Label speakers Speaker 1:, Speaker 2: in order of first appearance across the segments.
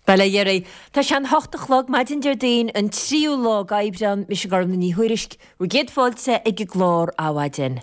Speaker 1: Bhuel, a Gherry, tá sé an hocht a chlog maidin Déardaoin, an tríú lá d'Aibreán, mise Gormfhlaith Ní Thuairisg, bhur gcéad fáilte ag an gclár Adhmhaidin.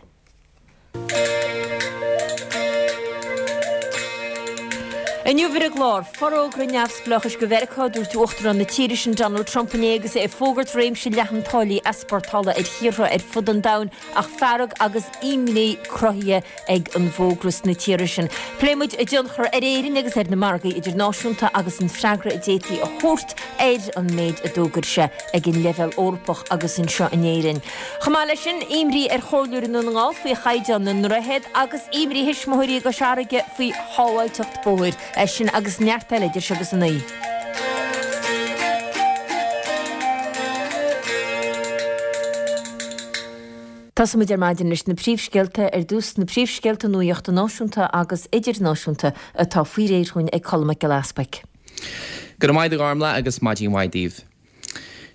Speaker 1: Inniu ar an gclár, forógra neamhspleáchais do Mheiriceá, dúirt Uachtarán na tíre sin Donald Trump inné agus é ag fógairt réimse leathan táillí easpórtála ar thíortha ar fud an domhain ach fearg agus imní cruthaithe ag an bhfógra sna tíortha sin. Pléifidh muid a dtionchar ar Éirinn agus ar na margaí idirnáisiúnta agus an freagra a d'fhéadfaí a thabhairt ar an méid a d'fhógair sé ag an leibhéal Eorpach agus anseo in Éirinn. Chomh maith leis sin, imní ar Chomhairleoirí i nDún na nGall faoi chaighdeán na ndroichead agus imní thuismitheoirí i gCois Fharraige faoi shábháilteacht bóthair. É sin agus neart eile idir seo agus a 9. Tosóidh muid ar maidin leis na príomhscéalta ar dtús, na príomhscéalta nuachta náisiúnta agus idirnáisiúnta atá faoi réir dhúinn ag Colm Mac Giolla Easpaig.
Speaker 2: Go raibh maith agat a Ghormfhlaith agus maidin mhaith daoibh.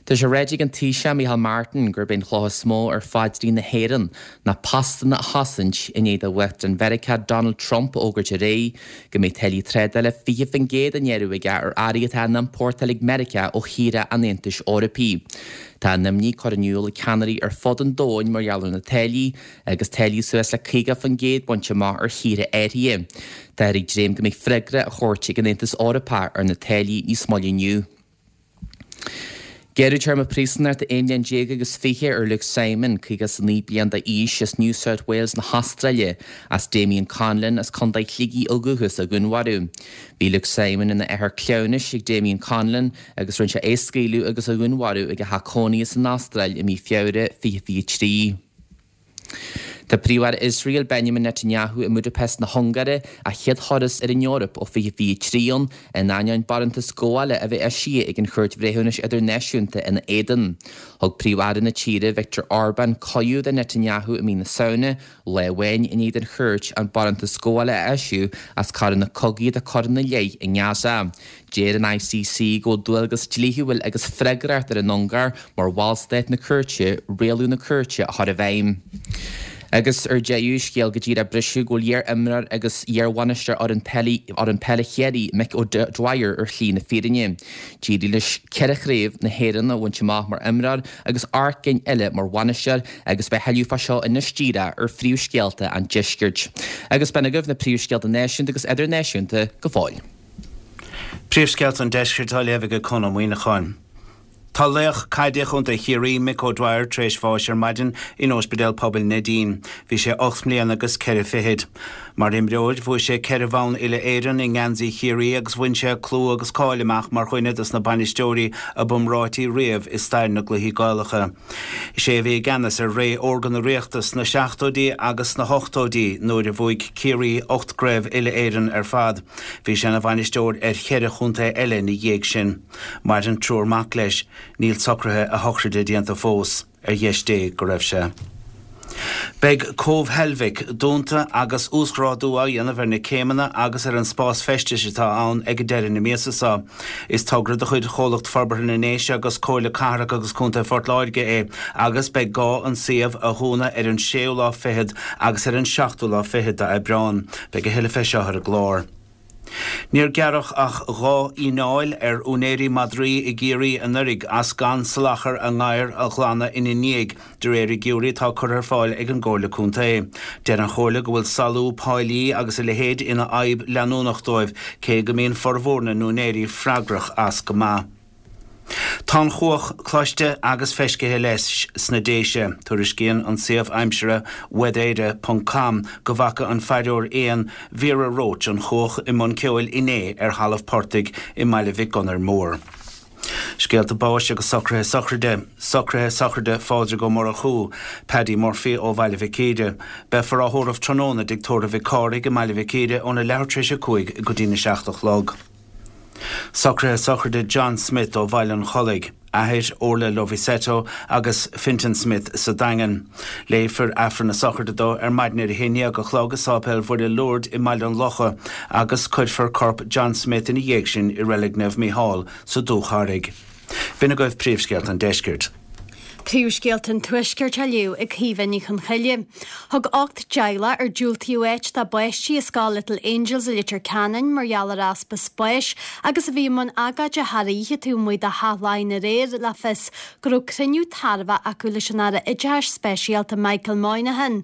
Speaker 2: Tá sé ráite ag an Taoiseach Micheál Martin gurb é an chloch is mó ar phaidrín na hÉireann ná postanna a chosaint i ndiaidh do Uachtarán Mheiriceá Donald Trump a fhógairt aréir go mbeidh táillí trádála 20% á ngearradh aige ar earraí atá á n-iompórtáil ag Meiriceá ó thíortha an Aontais Eorpaigh. Tá a n-imní curtha in iúl ag ceannairí ar fud an domhain mar gheall ar na táillí agus táillí suas le 50% bainte amach ar thíortha áirithe. Táthar ag dréim go mbeidh freagra á thabhairt ag an Aontas Eorpach ar na táillí níos moille inniu. Gearradh téarma príosúnachta 11 mbliain agus 20 ar Luke Simon, 59 bliain d'aois, as New South Wales na hAstráile, as Damien Conlon as Contae Shligigh ó dhúchas a dhúnmharú. Bhí Luke Simon ina athair cleamhnais ag Damien Conlon agus rinne sé é a scaoileadh agus a dhúnmharú ag a theach cónaithe san Astráil i mí Feabhra 2023. Tá Príomh-Aire Iosrael, Benjamin Netanyahu i mBudapest na hUngáire, a chéad thuras ar an Eoraip ó 2023 ann, in ainneoin barántas gabhála a bheith eisithe ag an Chúirt Bhreithiúnais Idirnáisiúnta ina éadan. Thug Príomh-Aire na tíre, Viktor Orbán, cuireadh do Netanyahu i mí na Samhna, lá amháin i ndiaidh don chúirt an barántas gabhála a eisiamh as coireanna cogaidh atá curtha ina leith i nGaza. Deir an ICC go bhfuil dualgas dlíthiúil agus freagracht ar an Ungáir mar bhallstát na cúirte rialú na cúirte a chur i bhfeidhm. Agus ar deireadh, scéal go díreach ag briseadh go bhfuil iar-imreoir agus iar-bhainisteoir fhoireann peile fhoireann peile Chiarraí, Mick O'Dwyer ar shlí na fírinne. D'éirigh leis ceithre chraobh na hÉireann a bhaint amach mar imreoir agus 8 gcinn eile mar bhainisteoir agus beidh tuilleadh fá seo anois díreach ar phríomhscéalta an deiscirt. Agus b'in agaibh na príomhscéalta náisiúnta agus idirnáisiúnta go fóill.
Speaker 3: Príomhscéalta an Deiscirt á léamh ag Conn Ó Muíneacháin. Tá laoch caide Chontae Chiarraí, Mick O'Dwyer, tar éis bháis ar maidin in Ospidéal Pobail Neidín. Bhí sé 8 mbliana agus ceithre fichid. Mar imreoir, bhuaigh sé ceithre bhonn uile-Éireann i ngeansaí Chiarraí agus bhain sé clú agus cáil amach mar dhuine dos na bainisteoirí a b'iomráití riamh i stair na gcluichí Gaelacha. Is é a bhí i gceannas ar ré órga na Ríochta sna seachtóidí agus sna hochtóidí nuair a bhuaigh Ciarraí 8 gcraobh uile-Éireann ar fad. Bhí sé ina bhainisteoir ar cheithre chontae eile ina dhiaidh sin. Maireann triúr mac leis. Níl socruithe a shochraide déanta fós. Ar dheis Dé go raibh sé. Beidh Cóbh Heilbhic dúnta agus uasghrádú á dhéanamh ar na céimeanna agus ar an spás feistis atá ann ag deireadh na míosa seo. Is togra de chuid Chomhlacht Forbartha na nDéise agus Comhairle Cathrach agus Contae Phort Láirge é agus beidh gá an suíomh a dhúnadh ar an séú lá fichead agus ar an seachtú lá fichead d'Aibreán. Beidh a thuilleadh fé seo ar an gclár. Níor gearradh ach 2 fhíneáil ar úinéirí madraí i gCiarraí anuraidh as gan salachar a ngadhar a ghlanadh ina ndiaidh, de réir fhigiúirí atá curtha ar fáil ag an gComhairle Contae. Deir an Chomhairle go bhfuil salú páilí agus a leithéid ina fhadhb leanúnach dóibh, cé go mbíonn formhór na n-úinéirí freagrach as go maith. Tá an chuach cloiste agus feiscithe leis sna Déise. Tuairiscíonn an suíomh aimsire weathereire ponc com go bhfaca an fairtheoir éan Vera Roche an chuach i mbun ceoil inné ar thalamh portaigh i mBaile Mhic Gonair Mór. Scéalta báis agus socruithe sochraide. Socruithe sochraide Phádraig Ó Murchú, Paddy Murphy ó Bhaile Mhic Íre. Beifear á thórramh tráthnóna i dTigh Tórraimh Mhic Cárthaigh i mBaile Mhic Íre óna leathuair tar éis a 5 go dtína 7 a chlog. Socruithe sochraide John Smith ó Bhaile an Chollaigh, athair Orla Lovisetto agus Fintan Smith sa Daingean. Léifear Aifreann na sochraide dó ar maidin ar a haon dhéag a chlog i Sáipéal Mhuire Lourdes i mBaile an Locha agus cuirfear corp John Smith ina dhiaidh sin i Reilig Naomh Mícheál sa Dúcharraig. B'in agaibh príomhscéalta an deiscirt.
Speaker 4: Príomhscéalta an Tuaiscirt á léamh ag Caoimhe Ní Chonchoille. Thug 8 dteaghlach ar diúltaíodh áit dá bpáistí i scoil Little Angels i Leitir Ceanainn mar gheall ar easpa spáis agus a bhí i mbun agóide thar oíche taobh amuigh de Theach Laighean aréir le fios go raibh cruinniú tairbheach acu leis an Aire Oideachais Speisialta Michael Moynihan.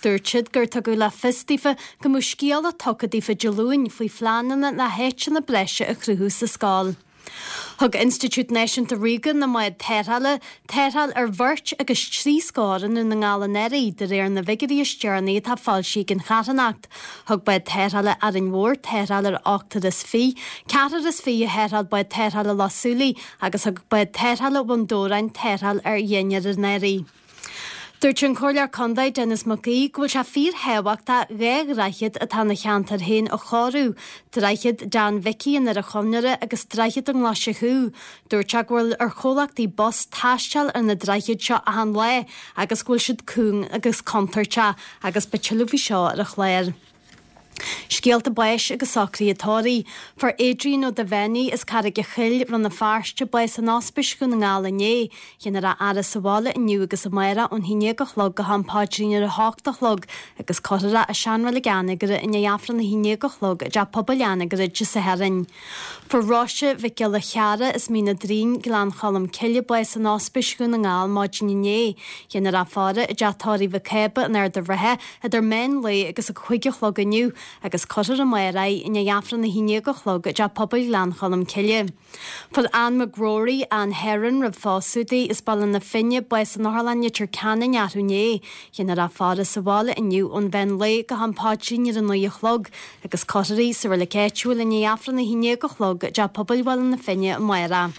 Speaker 4: Dúirt siad gur tugadh le fios daofa go mbeadh scéala tugtha daofa Dé Luain faoi phleananna le háiteanna breise a chruthú sa scoil. Thug Institiúid Náisiúnta Ríoga na mBád Tarrthála tarrtháil ar bheirt agus 3 scór i nDún na nGall anuraidh, de réir na bhfigiúirí is deireanaí atá foilsithe ag an charthanacht. Thug bád tarrthála Árainn Mhór tarrtháil ar ochtar is fiche, ceathrar is fiche a tharrtháil bád tarrthála Loch Súilí agus thug bád tarrthála Bhun Dobhráin tarrtháil ar dheichniúr anuraidh. Dúirt an Comhairleoir Contae Denis Mac Aoidh go bhfuil sé fíorthábhachtach 2 dhroichead atá ina cheantar féin a chóiriú, Droichead Dan Mhicí i nDoire Chonaire agus Droichead an Ghlaise Chú. Dúirt sé go bhfuil ar chomhlachtaí bus taisteal ar na droichid seo achan lá agus go bhfuil siad cúng agus contúirteach agus beidh tuilleadh faoi seo ar an chlár. Scéalta báis agus socruithe tórraimh. Fuair Adrian Ó Duibheannaigh as Carraig a' Choill, Rann na Feirste, bás in Ospís Dhún na nGall inné. Déanfar a fhaire sa bhaile inniu agus amárach ón 11 a chlog go ham paidrín ar a hocht a chlog agus cuirfear é i seanreilig Anagaire i ndiaidh Aifreann a 11 a chlog i dTeach Pobail Anagaire Dé Sathairn. Fuair Róise Mhic Giolla Cheara as Mín an Doirín, Gleann Cholm Cille, bás in Ospís Dhún na nGall maidin inné. Déanfar a faire i dTeach Tórraimh Mhic Cába in Ard an Rátha idir meán lae agus a 5 a chlog inniu agus cuirfear amárach í i ndiaidh Aifreann a 11 a chlog i dTeach Pobail Ghleann Cholm Cille. Fuair Ann McGrory, Ann Heron roimh phósadh di, as Baile na Finne, bás in Otharlann Leitir Ceanainn arú inné. Déanfar a faire sa bhaile inniu ón mheán lae go ham paidrín ar a 9 a chlog agus cuirfear í sa reilig áitiúil i ndiaidh Aifreann a 11 a chlog i dTeach Pobail Bhaile na Finne amárach.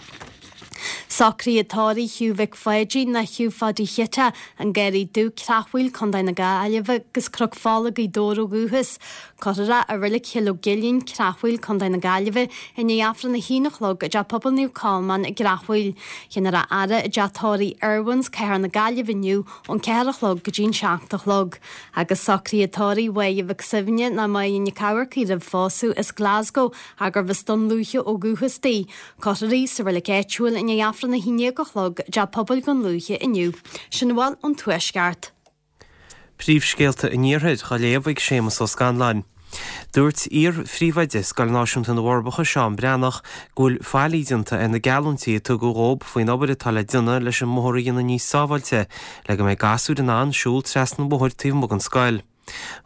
Speaker 4: Socruithe tórraimh Hugh Mhic Pháidín nó Hugh Pháidí Chite, An Garraí Dubh, Creachmhaoil, Co. na Gaillimhe agus Cnoc Fola, Gaoth Dobhair ó dhúchas. Cuirfear é i Reilig Chill Ó gCuilinn, Creachmhaoil, Co. na Gaillimhe, i ndiaidh Aifreann a haon a chlog i dTeach Pobail Naomh Colmán i gCreachmhaoil. Déanfar a fhaire i dTeach Tórraimh Irwin's, Cathair na Gaillimhe inniu ón 4 a chlog go dtí'n 7 a chlog. Agus socruithe tórraimh Mháire Mhic Suibhne nó Máire Nic Eamharcaigh roimh phósadh as Glasgow ach gurbh as Dún Lúiche ó dhúchas di. Cuirfear í sa reilig áitiúil i ndiaidh Aifreann a 11 a chlog i dTeach Pobail Dhún Lúiche inniu. Sin a bhfuil ón Tuaisceart.
Speaker 5: Príomhscéalta an Iarthair á léamh ag Séamus Ó Scanláin. Dúirt iar-phríomhoide Scoil Náisiúnta na bhForbacha, Seán Breathnach, go bhfuil faillí déanta ar na geallúintí a tugadh dhób faoin obair atá le déanamh leis an mbóthar a dhéanamh níos sábháilte le go mbeidh gasúir in ann siúl trasna an bhóthair taobh amuigh den scoil.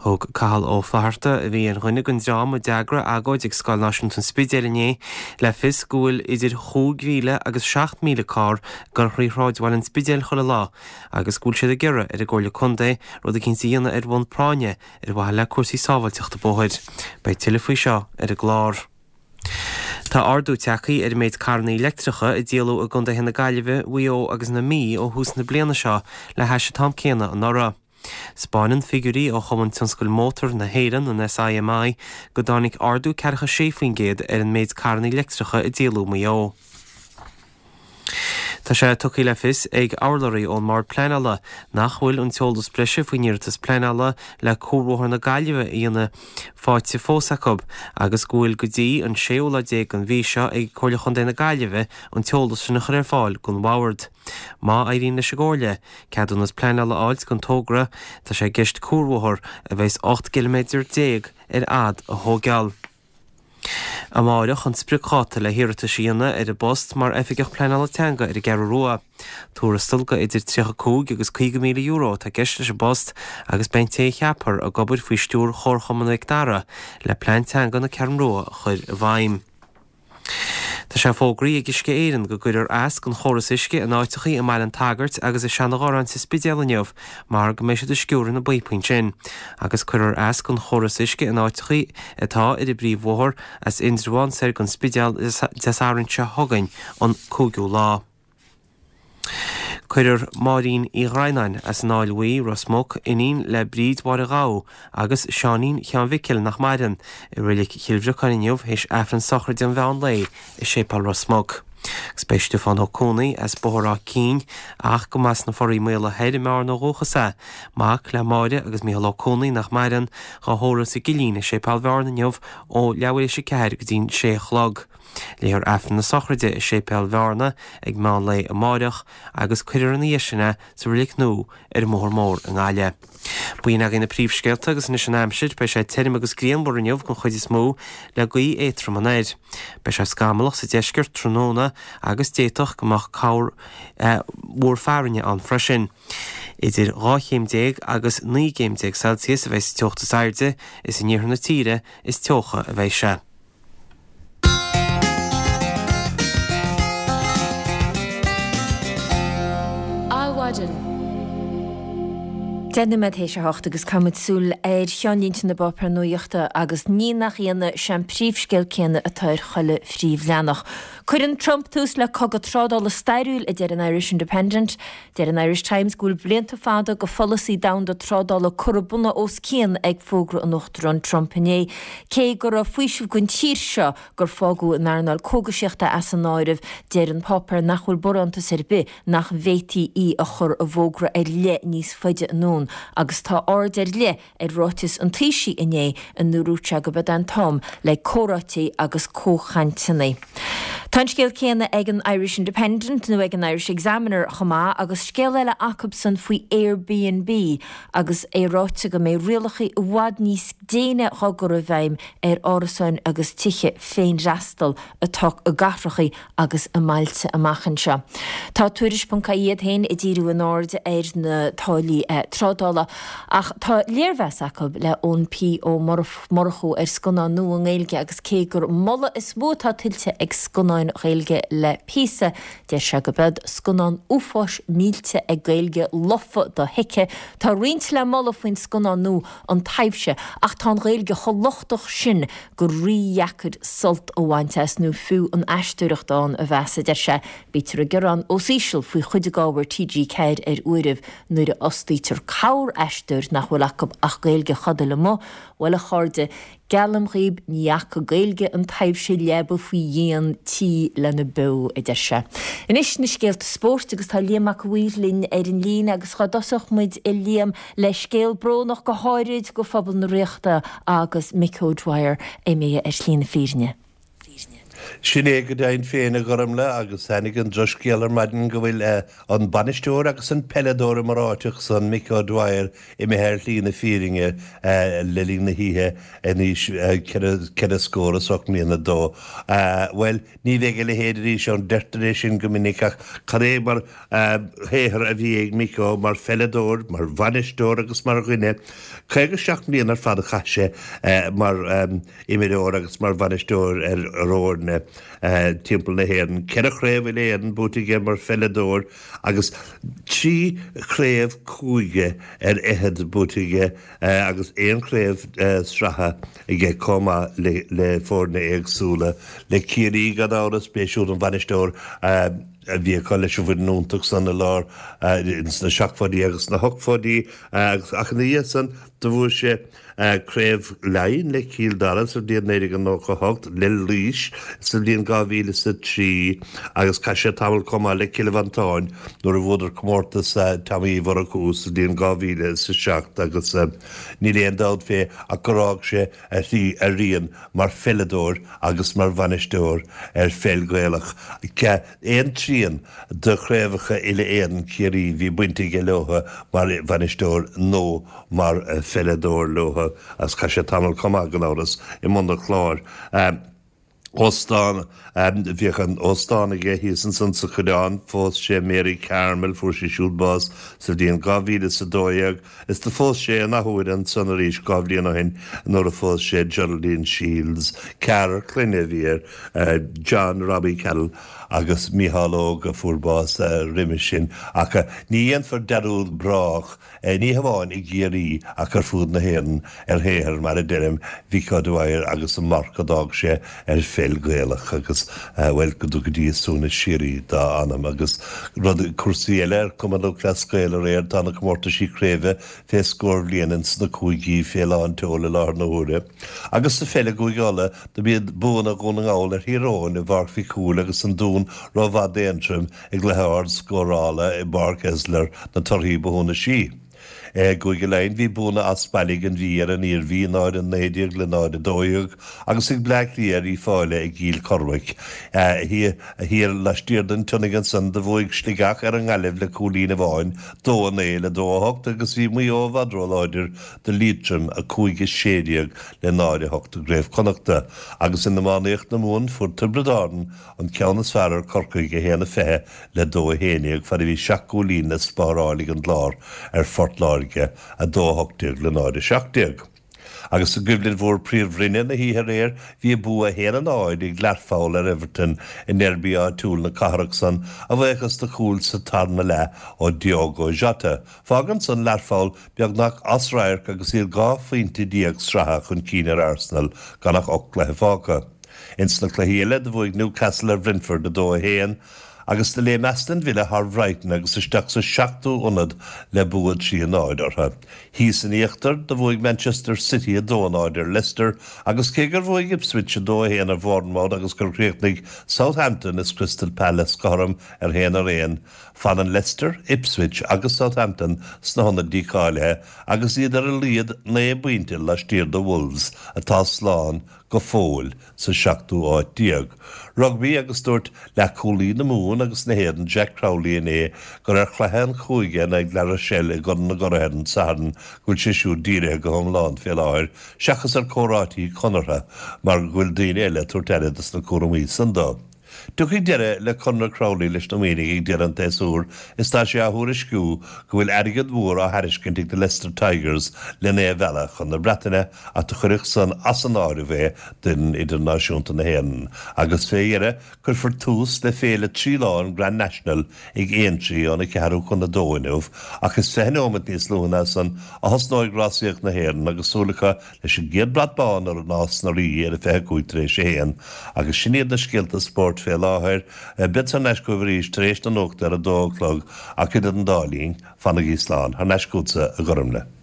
Speaker 5: Thug Cathal Ó Flatharta, a bhí ar dhuine den dream a d'eagraigh agóid ag Scoil Náisiúnta an Spidéil inné, le fios go bhfuil idir 5,000 agus 7,000 carr ag dul thrí shráidbhaile an Spidéil chuile lá agus go bhfuil siad ag iarraidh ar an gComhairle Contae rud eicínt a dhéanamh ar bhonn práinne ar mhaithe le cúrsaí sábháilteachta bóthair. Beidh tuilleadh faoi seo ar an gclár. Tá ardú tagtha ar an méid carranna leictreacha a díoladh i gcontaetha na Gaillimhe, Mhaigh Eo agus na Mí ó thús na bliana seo le hais an t-am céanna anuraidh. 'Spáineann figiúirí ó Chumann Tionscail Mótar na hÉireann, an SIMI, go dtáinig ardú ceathracha 6% ar an méid carranna leictreacha a díoladh i Maigh Eo. Tá sé tugtha le fios ag urlabhraí ón mBord Pleanála nach bhfuil an t-eolas breise faoin iarratas pleanála le Cuarbhóthar na Gaillimhe a dhéanamh faighte fós acu agus go bhfuil go dtí an séú lá déag den mhí seo ag Comhairle Chontae na Gaillimhe an t-eolas sin a chur ar fáil don Bhord. Má éiríonn leis an gComhairle ceadúnas pleanála a fháilt don togra, tá sé i gceist cuarbhóthar a bheas 18 gciliméadar ar fhad a thóigeáil. Amáireach an spriocdháta le hiarratais a dhéanamh ar an bpost mar Oifigeach Pleanála Teanga ar an gCeathrú Rua. Tuarastal de idir €35 agus €50,000 atá i gceist leis an bpost agus beidh an té a cheapfar ag obair faoi stiúir Chomharchumann Mhic Dara le plean teanga na Ceathrún Rua a chur i bhfeidhm. Tá sé fógraithe ag Uisce Éireann go gcuirfear as don chóras uisce in áiteachaí i mBaile an tSagairt agus i Seanadh sa Spidéal inniu mar go mbeidh siad ag sciúradh na bpíopaí ansin agus cuirfear as don chóras uisce in áiteachaí atá ar an bpríomhbhóthar as Indreabhán soir don Spidéal Dé Sathairn seo chugainn an 5ú lá. Cuirfear Máirín Uí Dhroighneáin as an Fháil Bhuí, Ros Muc, iníon le Bríd Mháire Ghabha agus Seáinín Sheáin Mhicil nach maireann, i Reilig Chill Bhriocáin inniu théis Aifreann sochraide an mheán lae i Séipéal Ros Muc. Agus beidh Stiofán Ó Cuanaigh as Bóthar Áth Cinn ach go mb'as na Foraí Maola Thoir i mBearna ó dhúchas é, mac le Máire agus Mícheál Ó Cuanaigh nach maireann, dhá thórramh sa gCillín i Séipéal Bhearna inniu ó leathuair théis a ceathair go dtí'n sé a chlog. Léifear Aifreann na sochraide i Séipéal Bhearna ag meán lae amáireach agus cuirfear ina dhiaidh sin é sa Reilig Nua ar an mBóthar Mór i nGaillimh. B'in agaibh na príomhscéalta agus anois an aimsir, beidh sé tirim agus grianmhar inniu den chuid is mó le gaoth éadtrom anoir. Beidh sé scamallach sa deisceart tráthnóna agus d'fhéadfadh go mbeadh corr mhúr fearthainne ann freisin. Idir 12 chéim agus 19 gcéim Celsius a bheidh sa teocht is airde, is in iarthar na tíre is teocha a bheidh sé.
Speaker 1: Adhmhaidin. 10 nóiméad théis a hocht agus caithfimid súil ar cheannlínte na bpáipéar nuachta agus ní nach ionadh, sé an príomhscéal céanna atá ar chuile phríomhleathanach. Cuireann Trump tús le cogadh trádála stairiúil, a deir an Irish Independent. Deir an Irish Times go bhfuil blianta fada de pholasaí domhanda trádála curtha bunaidh os cionn ag fógra an Uachtaráin Trump inné. Cé go raibh faoiseamh don tír seo gur fágadh an earnáil cógaisíochta as an áireamh, deir an páipéar nach bhfuil barántas ar bith nach bhféadfaí í a chur i bhfógra ar leith níos faide anonn agus tá aird ar leith ar ráiteas an Taoisigh inné ina ndúirt sé go b'é an t-am le comhráití agus comhchainteanna. Tá an scéal céanna ag an Irish Independent nó ag an Irish Examiner chomh maith agus scéal eile acubsan faoi Airbnb agus é ráite go mbeidh rialacha i bhfad níos déine dhá gcur i bhfeidhm ar árasáin agus tithe féinfhreastail atá i gcathracha agus i mbailte amach anseo. Tá Tuairisc ponc ie iad féin ag díriú a n-aird ar na táillí trádála ach tá léirmheas acu le Eoin P Ó Murchú ar scannán nua i nGaeilge agus cé gur moladh is mó atá tuillte ag scannáin Ghaeilge le píosa, deir sé go b'iod scannán uafáis millte ag Gaeilge lofa dothuigthe. Tá roinnt le moladh faoin scannán nua An Taibhse ach tá an Ghaeilge chomh lochtach sin gur rídheacair sult a bhaint as nó fiú an aisteoireacht ann a mheas, a deir sé. Bítear ag gearán os íseal faoi chuid d'ábhar TG4 ar uairibh nuair a fhostaítear corr-aisteoir nach bhfuil acu ach Gaeilge chodail amuigh. Bhuel, a chairde, geallaim dhaoib ní fhaca Gaeilge an Taibhse leaba faoi dhíon tí lena beo, a deir sé. Anois na scéalta spóirt agus tá Liam Mac a' Mhaoir linn ar an líne agus dhá dtosódh muid, a Liam, Le scéal brónach go háirid go phobal na Ríochta agus Mick O'Dwyer imithe ar shlí na fírinne.
Speaker 6: Sin é go deimhin féin, a Ghormlaith, agus tháinig an drochscéal ar maidin go bhfuil an bainisteoir agus an peileadóir iomráiteach san, Mick O'Dwyer, imithe ar shlí na fírinne le linn na hoíche in aois ceithre scór is 8 mbliana dó. Bhuel, Ní bheidh a leithéid arís ann, deirtear é sin go minic, ach cad é mar shaothar a bhí ag Micko mar pheileadóir, mar bhainisteoir agus mar dhuine. 57 mbliana ar fad a chaith sé mar imreoir agus mar bhainisteoir ar fhoirne timpeall na hÉireann. Ceithre chraobh uile-Éireann buaite aige mar pheileadóir agus trí chraobh cúige ar fhichead buaite aige agus aon chraobh sraithe aige chomh maith le foirne éagsúla, le Ciarraí gan amhras, b'é siúd an bainisteoir a bhí acu leis an bhfoireann iontach san i lár sna seachtóidí agus sna hochtóidí agus ach ina dhiaidh san do bhuaigh sé Craobh Laighean le Cill Dara sa bhliain 1998, le Laois sa bhliain 2003 agus chaith sé tamall chomh maith le Cill Mhantáin nuair a bhuadar comórtas Tommy Uí Mhurchú sa bhliain 2007 agus níl aon dabht fé ach gur fhág sé a shlí a rian mar pheileadóir agus mar bhainisteoir ar pheil Ghaelach. Aon trian de chraobhacha uile-Éireann Chiarraí bhí baint aige leo mar bhainisteoir nó mar pheileadóir leo agus chaith sé tamall chomh maith gan amhras i mbun an Chláir. Óstán, Bhíodh an óstán aige thíos ansan sa Choileán. Phós sé Mary Carmel, fuair sí siúd bás sa bhliain 2012 is do phós sé an athuair ansan arís 2 bhliain ó shin nuair a phós sé Geraldine Shields. Ceathrar clainne a bhí air, John, Robbie Carroll agus Mícheál Óg a fuair bás roimis sin. Ach ní dhéanfar dearúd brách. Ní hamháin i gCiarraí ach ar fud na hÉireann ar shaothar, mar a deirim, Mhick O'Dwyer agus an marc a d'fhág sé ar pheil Ghaelach agus, bhuel, go dtuga Dia suaimhneas síoraí dá anam. Agus rud, cúrsaí eile ar Chumann Lúthchleas Gael aréir, tá na comórtaisí craoibhe fé scór bhliain ins na cúigí fé lán tseoil i láthair na huaire. Agus sa pheil i gCúige Uladh, do b'iad buanna Dhún na nGall ar Thír Eoghain i bPáirc Mhic Cumhaill agus an Dún rómhaith d'Aontroim i gcluiche ard-scórála i bPáirc Esler na torthaí ba shunasí. I gCúige Laighean bhí buanna as baile ag an Mhí ar an Iarmhí, 0-19 le 0-12, agus ag Bleá Cliath ar Uíbh Fhailí i gCill Chormaic. Thiar laistiar den tSionnaigh ansan do bhuaigh Sligeach ar an nGaillimh le cúilín amháin, 2-9 le 2-8, agus bhí Maigh Eo i bhfad róláidir do Liatroim, 5-16 le 0-8 i gCraobh Chonnachta. Agus in iománaíocht na Mumhan fuair Tiobraid Árann an ceann is fearr ar Corcaigh, 1-20 le 2-11, fad a bhí seacht gcúilín le spáráil ag an gClár ar Phort Láirge, 2-18 le 0-17. Agus i gcoimhlint mhór Príomhroinne na hoíche aréir, bhí bua 1-0 ag Learpholl ar Everton i ndeirby áitiúil na cathrach san, a bhuíochas do chúl sa tarna leath ó Diogo Jota. Fágann san Learpholl beagnach as radharc agus iad 12 phointe sraithe chun cinn ar Arsenal gan ach 8 gcluiche fágtha. Ins na cluichí eile, do bhuaigh Newcastle ar Bhrentford 2-1, agus do léim Aston Villa thar Bhrighton agus isteach sa seachtú ionad le bua 3-0 orthu. Thíos in íochtar, do bhuaigh Manchester City 2-0 ar Leicester, agus cé gur bhuaigh Ipswich 2-1 ar Bhournemouth agus gur chríochnaigh Southampton is Crystal Palace cothrom ar 1-1, fanann Leicester, Ipswich agus Southampton sna hionaid dícháilithe agus iad ar a laghad 9 bpointe laistiar de Wolves, atá slán go fóill sa seachtú háit déag. Rugbaí agus dúirt leathchúlaí na Mumhan agus na hÉireann Jack Crowley inné gur ar chluiche an chúige in aghaidh La Rochelle i gCorn na gCuradh ar an Satharn go bhfuil sé siúd dírithe go hiomlán fé láthair seachas ar chomhráití conartha mar go bhfuil daoine eile ag tabhairt aire dos na cúramaí san dó. Tiocfaidh deireadh le conradh Crowley leis na Muimhnigh ag deireadh an tséasúir is tá sé á thuairisciú go bhfuil airgead mhór á thairiscint ag na Leicester Tigers len é a mhealladh chun na Breataine ach do chuirfeadh san as an áireamh é d'fhoireann idirnáisiúnta na hÉireann agus fé dheireadh cuirfear tús le féile 3 lá an Grand National ag Aintree óna ceathrú chun a dó inniu ach is 20 neomat níos luaithe ná san a thosnóidh rásaíocht na hÉireann agus súil acu leis an gcéad brat bán ar Nás na Rí ar a 25 tar éis a haon agus sin iad na scéalta spóirt fé láthair. Bead thar n-ais chugaibh arís tar éis na nuachta ar a dó a chlog ach idir an dá linn, fanaigí slán. Thar n-ais chugatsa, a Ghormlaith.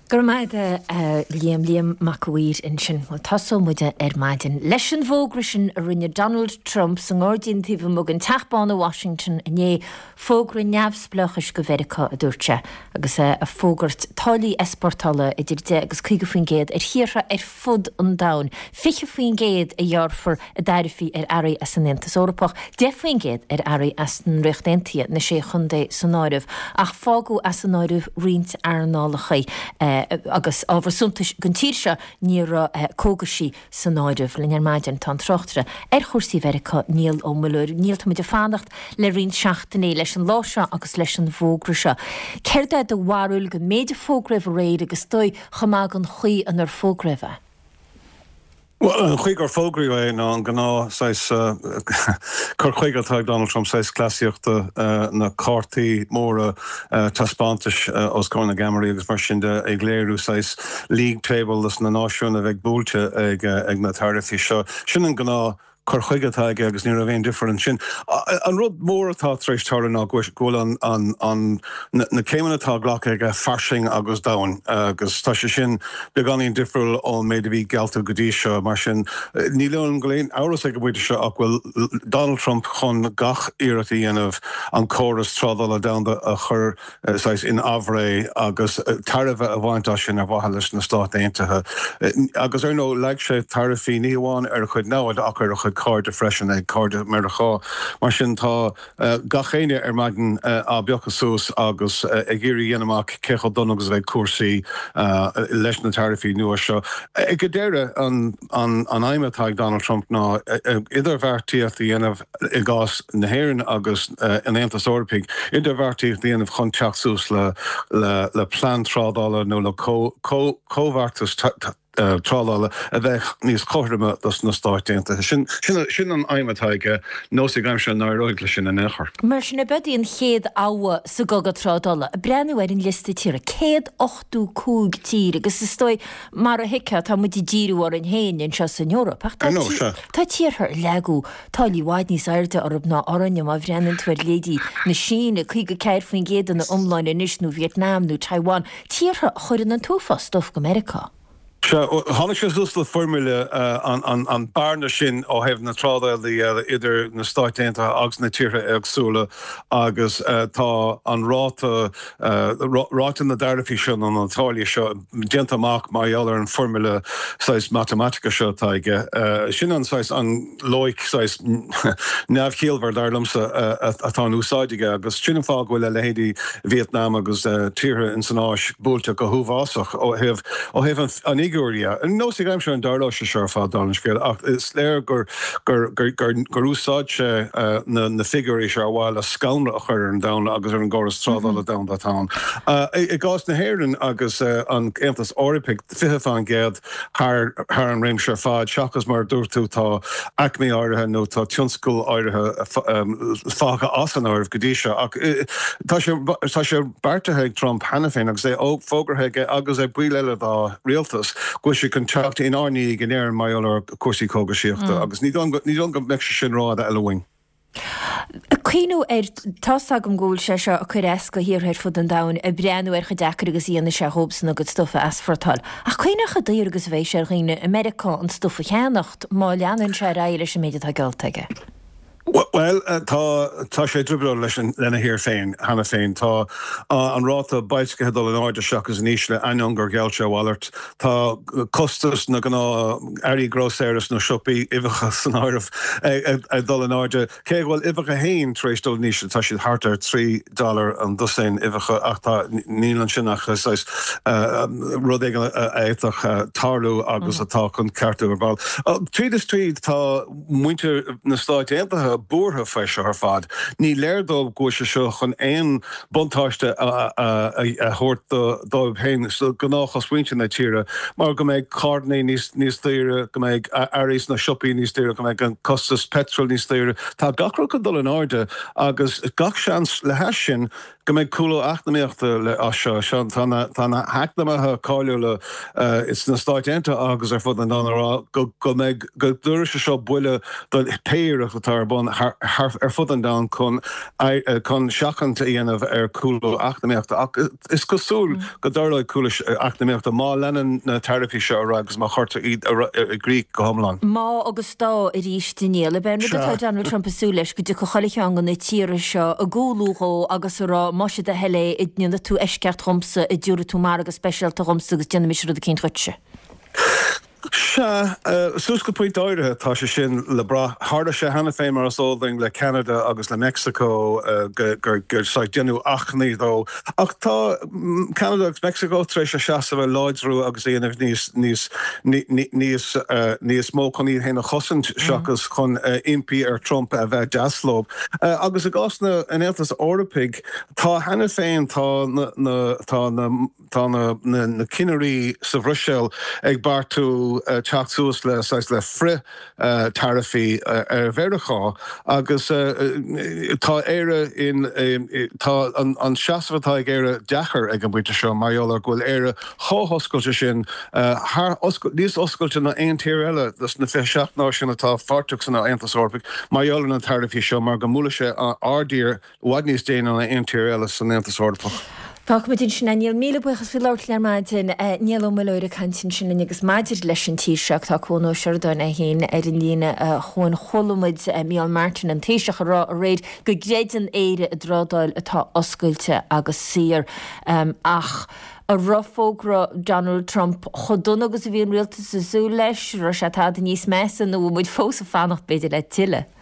Speaker 1: Go raibh maith agat a Liam, Liam Mac a' Mhaoir ansin. Bhuel, tosóidh muid ar maidin leis an bhfógra sin a rinne Donald Trump sa ngairdín taobh amuigh den Teach Bán i Washington inné, Fógra neamhspleáchais do Mheiriceá, a dúirt sé, agus é ag fógairt táillí easpórtála idir 10 agus 50% ar thíortha ar fud an domhain, 20% a ghearrfar i dtaraifí ar earraí as an Aontas Eorpach, 10% ar earraí as an Ríocht Aontaithe, na Sé Chontae san áireamh, ach fágadh as an áireamh roinnt earnálacha agus ábhar suntais don tír seo, ní raibh cógaisí san áireamh. Linn ar maidin tá an tráchtaire ar chúrsaí Mheiriceá, Niall Ó Muilleoir. Niall, tá muid ag fanacht le roinnt seachtainí leis an lá seo agus leis an bhfógra seo. Céard é do bharúil den méid a fógraíodh aréir agus is dóigh chomh maith den chaoi inar fógraíodh é?
Speaker 7: Bhuel, an chaoi gur fógraíodh é ná an gnáth saghas cur chuige atá ag Donald Trump, saghas cleasaíochta, na cártaí móra taispeántais os comhair na gceamaraí agus mar sin de, ag léiriú saghas league table dos na náisiúin a bheidh buailte ag na taraifí seo. Sin an gnáth cur chuige atá aige agus ní raibh aon difear ansin. An rud mór atá tar éis tarlú ná go bhfuil an na céimeanna atá glactha aige fairsing agus domhain agus tá sé sin beagáinín difriúil ón méid a bhí geallta go dtí seo. Mar sin, níl ionam go bhfuil aon amhras ag an bpointe seo ach go bhfuil Donald Trump chun gach iarracht a dhéanamh an córas trádála domhanda a chur saghas in aimhréidh agus tairbhe a bhaint as sin ar mhaithe leis na Stáit Aontaithe. Agus ar ndóigh, leag sé taraifí ní hamháin ar a chuid namhad ach ar a chuid cairde freisin, ag cairde Meiriceá. Mar sin tá gach éinne ar maidin á bpiocadh suas agus ag iarraidh a dhéanamh amach cé chomh dona agus a bheidh cúrsaí leis na taraifí nua seo. Ag an deireadh, an aidhm atá ag Donald Trump ná idirbheartaíocht a dhéanamh, i gcás na hÉireann agus an Aontais Eorpaigh, idirbheartaíocht a dhéanamh chun teacht suas le plean trádála nó le comhbheartas trádála a bheadh níos cothroime dos na Stáit Aontaithe. Sin an aidhm atá aige, nós ag aimsir an n-éireoidh leis sin in aon chor.
Speaker 1: Mar sin, ab í an chéad abha sa gcogadh trádála? Ag breathnú ar an liosta tíortha, 185 tír agus is dóigh, mar a thuigfeá, tá muid ag díriú orainn féin anseo san Eoraip ach tá tíortha ar leagadh táillí i bhfad níos airde orthu ná orainne, má bhreathnaíonn tú ar leithéidí na Síne, 54% ina iomláine anois, nó Vietnam nó Taiwan, tíortha a chuireann an t-uafás stuif go Meiriceá.
Speaker 7: Sea, tháinig sé suas le foirmle an bearna sin ó thaobh na trádála de idir na Stáit Aontaithe agus na tíortha éagsúla agus tá an ráta, ráta na dtaraifí seo nó na táillí seo déanta amach mar gheall ar an bhfoirmle saghas matamaitice seo atá aige. Sin an saghas, an loighic saghas neamhchiallmhar, dar liomsa, atá in úsáid aige agus sin an fáth go bhfuil a leithéidí Vietnam agus tíortha ins an Áis buailte go huafásach ó thaobh ó thaobh an fhigiúir dhe. Nós ag aimsir an daorláise seo ar fad, dála an scéil, ach is léir gur gur gur gur gur úsáid sé na na figiúirí seo ar mhaithe le scanradh a chur ar an domhan agus ar an gcóras trádála domhanda atá ann. I gcás na hÉireann agus an Aontas Eorpaigh, 20%, thar an réimse ar fad, seachas mar a dúirt tú, tá aicmí áirithe nó tá tionscail áirithe fágtha as an áireamh go dtí seo. Ach tá sé tá sé beartaithe ag Trump cheana féin agus é fógartha aige agus ag baill eile dá rialtas go bhfuil sé chun teacht inár ndiaidh in Éirinn mar gheall ar chúrsaí cógaisíochta agus ní dóigh go mbeidh sé sin rófhada eile uainn.
Speaker 1: Cuimhniú air, tá's agam go bhfuil sé seo ag cur as do thíortha ar fud an domhain, ag breathnú ar chomh deacair agus a dhéanfaidh sé dhóibhsan a gcuid stuif a easpórtáil. Ach cuimhnigh chomh daor agus a bheidh sé ar dhaoine i Meiriceá an stuif a cheannacht má leanann sé ar aghaidh leis an méid atá geallta aige.
Speaker 7: Bhuel, tá, tá sé i dtrioblóid leis an, lena thír féin cheana féin. Tá an ráta boilscithe ag dul in airde seachas in ísle, ainneoin gur gheall sé a mhalairt. Tá costas na ngnáth-earraí grósaera sna siopaí, uibheacha san áireamh, ag dul in airde. Cé go bhfuil uibheacha féin tar éis dul in ísle, tá siad thart ar 3 dollar an dosaen uibheacha ach tá, níl ansin ach saghas rud éigin a fhéadfadh tarlú agus atá chun ceartú ar ball. Tríd is tríd tá muintir na Stáit Aontaithe buartha faoi seo ar fad. Ní léir dóibh go bhfuil sé seo chun aon buntáiste a thabhairt dóibh féin, do ghnáthchosmhuintir na tíre, mar go mbeidh carranna níos daoire, go mbeidh earraí sna siopaí níos daoire, go mbeidh an costas peitril níos daoire. Tá gach rud chun dul in airde agus gach seans le hais sin go mbeidh cúlú eacnamaíochta as seo. Tá na heacnamaithe cáiliúla sna Stáit Aontaithe agus ar fud an domhain ag rá go mbeidh, go dtabharfaidh sé seo buille do pé iarracht atá ar bun ar fud an domhain chun chun seachaint a dhéanamh ar chúlú eacnamaíochta. Ach is cosúil go dtarlóidh cúlú eacnamaíochta má leanann na taraifí seo ar aghaidh agus má chuirtear iad i gcrích go hiomlán.
Speaker 1: Má agus dá arís a Niall. Ab é an rud atá Donald Trump ag súil leis go dtiocfadh chuile cheann de na tíortha seo ag umhlú dhó agus ag rá más é do thoil é, an ndéanfaidh tú eisceacht dhomsa, an dtabharfaidh tú margadh speisialta dhomsa agus déanfaidh mise rud eicínt dhuitse.
Speaker 7: Sea, suas go pointe áirithe tá sé sin le brath. Tharla sé cheana féin, mar is eol dúinn, le Ceanada agus le Meicsiceo gur saghas déanadh achainí dó. Ach tá Ceanada agus Meicsiceo tar éis a seasamh a láidriú agus a dhéanamh níos, níos, níos, níos mó chun iad féin a chosaint seachas chun impí ar Trump a bheith deas leo. Agus i gcás na, an Aontais Eorpaigh, tá cheana féin, tá na, tá na, Tá na cinnirí sa Bhruiséil ag beartú teacht suas le saghas le frith-taraifí ar Mheiriceá agus tá Éire in, tá an seasamh atá ag Éire deacair ag an bpointe seo mar gheall ar go bhfuil Éire chomh hoscailte sin, thar, níos oscailte ná aon tír eile dos na 27 náisiún atá páirteach san Aontas Eorpaigh mar gheall ar na taraifí seo mar go mbuailfidh sé ár dtír i bhfad níos déine ná aon tír eile san Aontas Eorpach.
Speaker 1: Fágfaimid ansin é. Niall, míle buíochas faoi labhairt linn ar maidin. Niall Ó Muilleoir ag caint ansin linn agus maidir leis an tír seo, tá Cuan Ó Seireadáin é féin ar an líne chugainn. Chuala muid Micheál Martin, an Taoiseach, ag rá aréir go gcreideann Éire i dtrádáil atá oscailte agus saor. Ach an raibh fógra Donald Trump chomh dona agus a bhí an rialtas ag súil leis? Raibh sé tada níos measa nó bhfuil muid fós ag fanacht b'fhéidir le tuilleadh?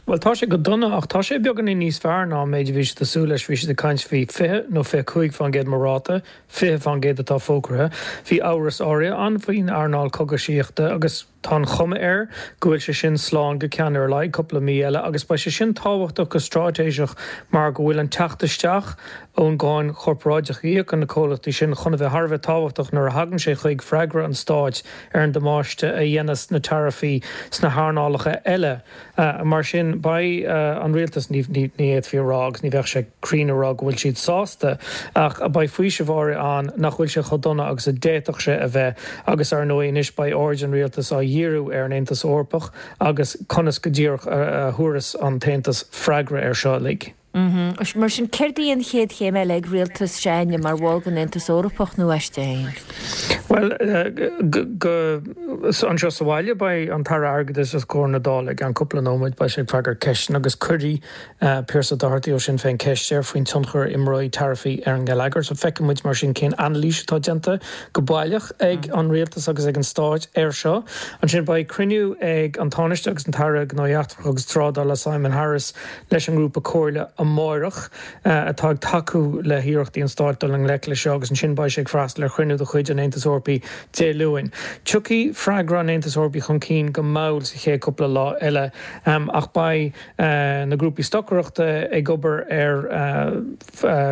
Speaker 8: Bhuel, tá sé go dona, ach tá sé beagáinín níos fearr ná an méid a bhí siad ag súil leis. Bhí siad ag caint faoi 20 nó 25% mar ráta, 20% atá fógraithe. Bhí amhras áirithe ann faoin earnáil cogaisíochta agus tá an chuma air go bhfuil sé sin slán go ceann ar a laghad cúpla mí eile agus beidh sé sin tábhachtach go straitéiseach mar go bhfuil an teacht isteach ón gcáin chorparáideach a íocann na comhlachtaí sin chun a bheith thar a bheith tábhachtach nuair a thagann sé chuig freagra an stáit ar an damáiste a dhéanas na taraifí sna hearnálacha eile. Mar sin, beidh an rialtas, ní fhéadfaí a rá, agus ní bheadh sé cruinn a rá go bhfuil siad sásta, ach beidh faoiseamh áirithe ann nach bhfuil sé chomh dona agus a d'fhéadfadh sé a bheith. Agus, ar ndóigh, anois beidh aird an rialtais á dhíriú ar an Aontas Eorpach agus conas go díreach a thabharfas an tAontas freagra air seo uilig.
Speaker 1: Mar sin, céard í an chéad chéim eile ag rialtas s'againne mar bhall den Aontas Eorpach nó aisti féin?
Speaker 8: Bhuel, go anseo sa bhaile, beidh an tAire Airgeadais os comhair na Dála i gceann cúpla nóiméad. Beidh sé ag freagairt ceisteanna agus cuirfidh Pearse Doherty ó Sinn Féin ceist air faoin tionchar a imreoidh taraifí ar an ngeilleagar. So feicfidh muid mar sin cén anailís atá déanta go baileach ag an rialtas agus ag an Stát air seo. Ansin beidh cruinniú ag an Tánaiste agus an tAire Gnóthaí Eachtracha agus Trádála Simon Harris leis an ngrúpa comhairle amáireach. atá ag tacú le hiarrachtaí an stáit dul i ngleic leis seo agus ansin beidh sé ag freastal ar chruinniú de chuid an Aontais Eorpaigh Dé Luain. Tiocfaidh freagra an Aontais Eorpaigh chun cinn go mall sa chéad cúpla lá eile ach beidh na grúpaí stocaireachta ag obair ar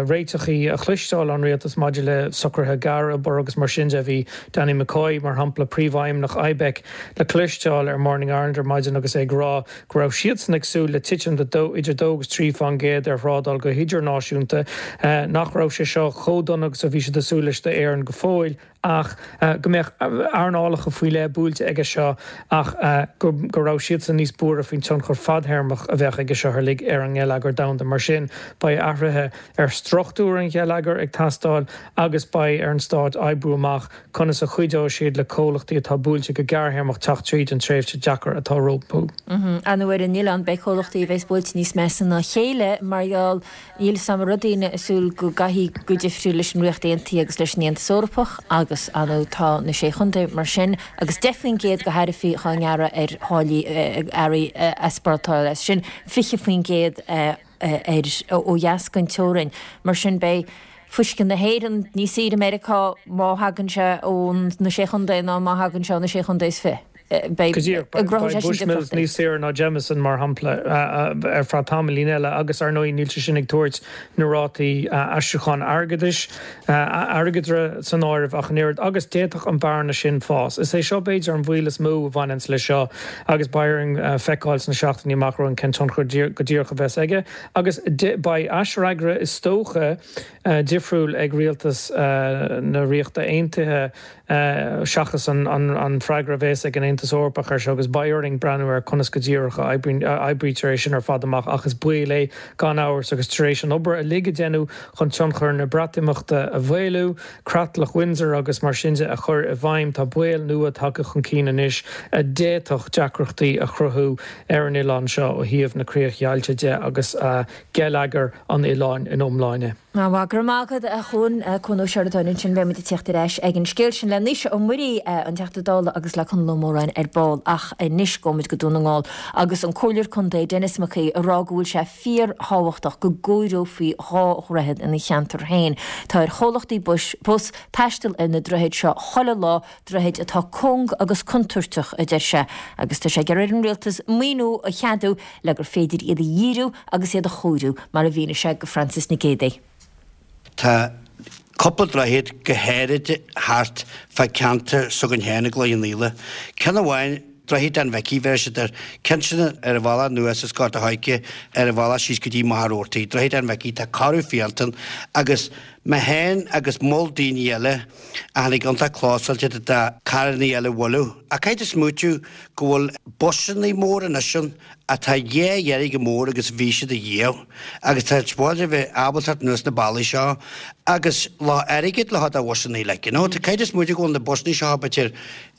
Speaker 8: réiteachaí a chloisteáil ón rialtas maidir le socruithe gearra agus mar sin de. Bhí Danny McCoy, mar shampla, príomhfheidhmeannach IBEC, le cloisteáil ar Morning Ireland ar maidin agus é ag rá go raibh siadsan ag súil le titim de idir 2 agus 3 fán gcéad ar thrádáil go hidirnáisiúnta, nach raibh sé seo chomh dona agus a bhí siad ag súil leis d'Éirinn go fóill ach go mbeadh earnálacha faoi leith buailte aige seo ach go raibh siadsan níos buartha faoin tionchar fadthéarmach a bheadh aige seo uilig ar an ngeilleagar domhanda. Mar sin, beidh athruithe ar struchtúr an gheilleagair ag teastáil agus beidh ar an stát oibriú amach Conas a chuideoidh siad le comhlachtaí atá buailte go gearrthéarmach teacht tríd an tréimhse deacair atá rompu?
Speaker 1: Ar ndóigh ar an oileán, beidh comhlachtaí a bheas buailte níos measa ná a chéile mar gheall, níl 'fhios a'm an raibh daoine ag súil go gcaithfí go difriúil leis an Ríocht Aontaithe agus leis an Aontas Eorpach agus, ar ndóigh, tá na Sé Chontae mar sin agus 10% de tharaifí dhá ngearradh ar tháillí earraí easpórtála, as sin 20% ar ó dheas den teorainn. Mar sin beidh fuisce na hÉireann níos saoire i Meiriceá má thagann sé ó na Sé Chontae ná má thagann sé ó na Sé Chontae is fi.
Speaker 8: Beidh Go díreach. Beidh Bushmills níos saoire ná Jameson, mar shampla, ar feadh tamaillín eile agus, ar ndóigh, níl sé sin ag tabhairt na rátaí aistriúcháin airgeadais, airgeadra san áireamh ach an oiread, agus d'fhéadfadh an bhearna sin fás. Is é seo, b'fhéidir, an baol is mó a bhaineanns leis seo agus beidh orainn feiceáil sna seachtainí amach romhainn cén tionchar go díreach a bheas aige. Agus beidh aisfhreagra, is dócha, difriúil ag rialtas na Ríochta Aontaithe seachas an freagra a bheas ag an Aontas Eorpach air seo agus beidh orainn breathnú ar conas go díreach a oibrítear é sin ar fad amach ach is baol é gan amhras agus tar éis an obair uilig a deineadh chun tionchar na Breatimeachta a mhaolú, Creatlach Windsor agus mar sin de a chur i bhfeidhm, tá baol nua tagtha chun cinn anois a d'fhéadfadh deacrachtaí a chruthú ar an oileán seo ó thaobh na críochdheighilte de agus geilleagar an oileáin ina iomláine.
Speaker 1: Go raibh maith agat, a Chuan. Cuan Ó Seireadáin ansin. Beidh muid ag tíocht ar ais ag an scéal sin le Naoise Ó Muirí, an Teachta Dála agus le Conall Ó Móráin ar ball. Ach anois gabhfaidh muid go Dún na nGall agus an Comhairleoir Contae Denis Mac Aoidh ag rá go bhfuil sé fíorthábhachtach go gcóireofaí 2 dhroichead ina cheantar féin. Tá ar chomhlachtaí bus taisteal ar na droichid seo chuile lá, droichid atá cúng agus contúirteach, a deir sé, agus tá sé ag iarraidh ar an Rialtas maoiniú a cheadú le gur féidir iad a dhíriú agus iad a chóiriú, mar a mhínigh sé go Frances Nic Géadaigh.
Speaker 9: Tá cúpla droichead go háirid thart fá ceantar s'againn féin i gCloich Cheann Fhaola. Ceann amháin, Droichead Dan Mhicí, bheir siad air. Ceann sin ar an bhealach anuas as Gort a' Choirce ar an bhealach síos go dtí Machaire Rabhartaigh. Droichead Dan Mhicí, tá corradh fiántan agus mé féin agus moll daoine eile a tháinig iontach clósáilte de do carrannaí eile a bhualadh. Ach caithfidh tú smaoitiú go bhfuil busannaí móra anois ann atá dhá oiread chomh mór agus bhí siad ariamh agus tá siad a bheith ábalta teacht anuas na bealaí seo agus le airgead le do bhusannaí like you know tá caithfidh tú smaoitiú go bhfuil na busannaí seo b'fhéidir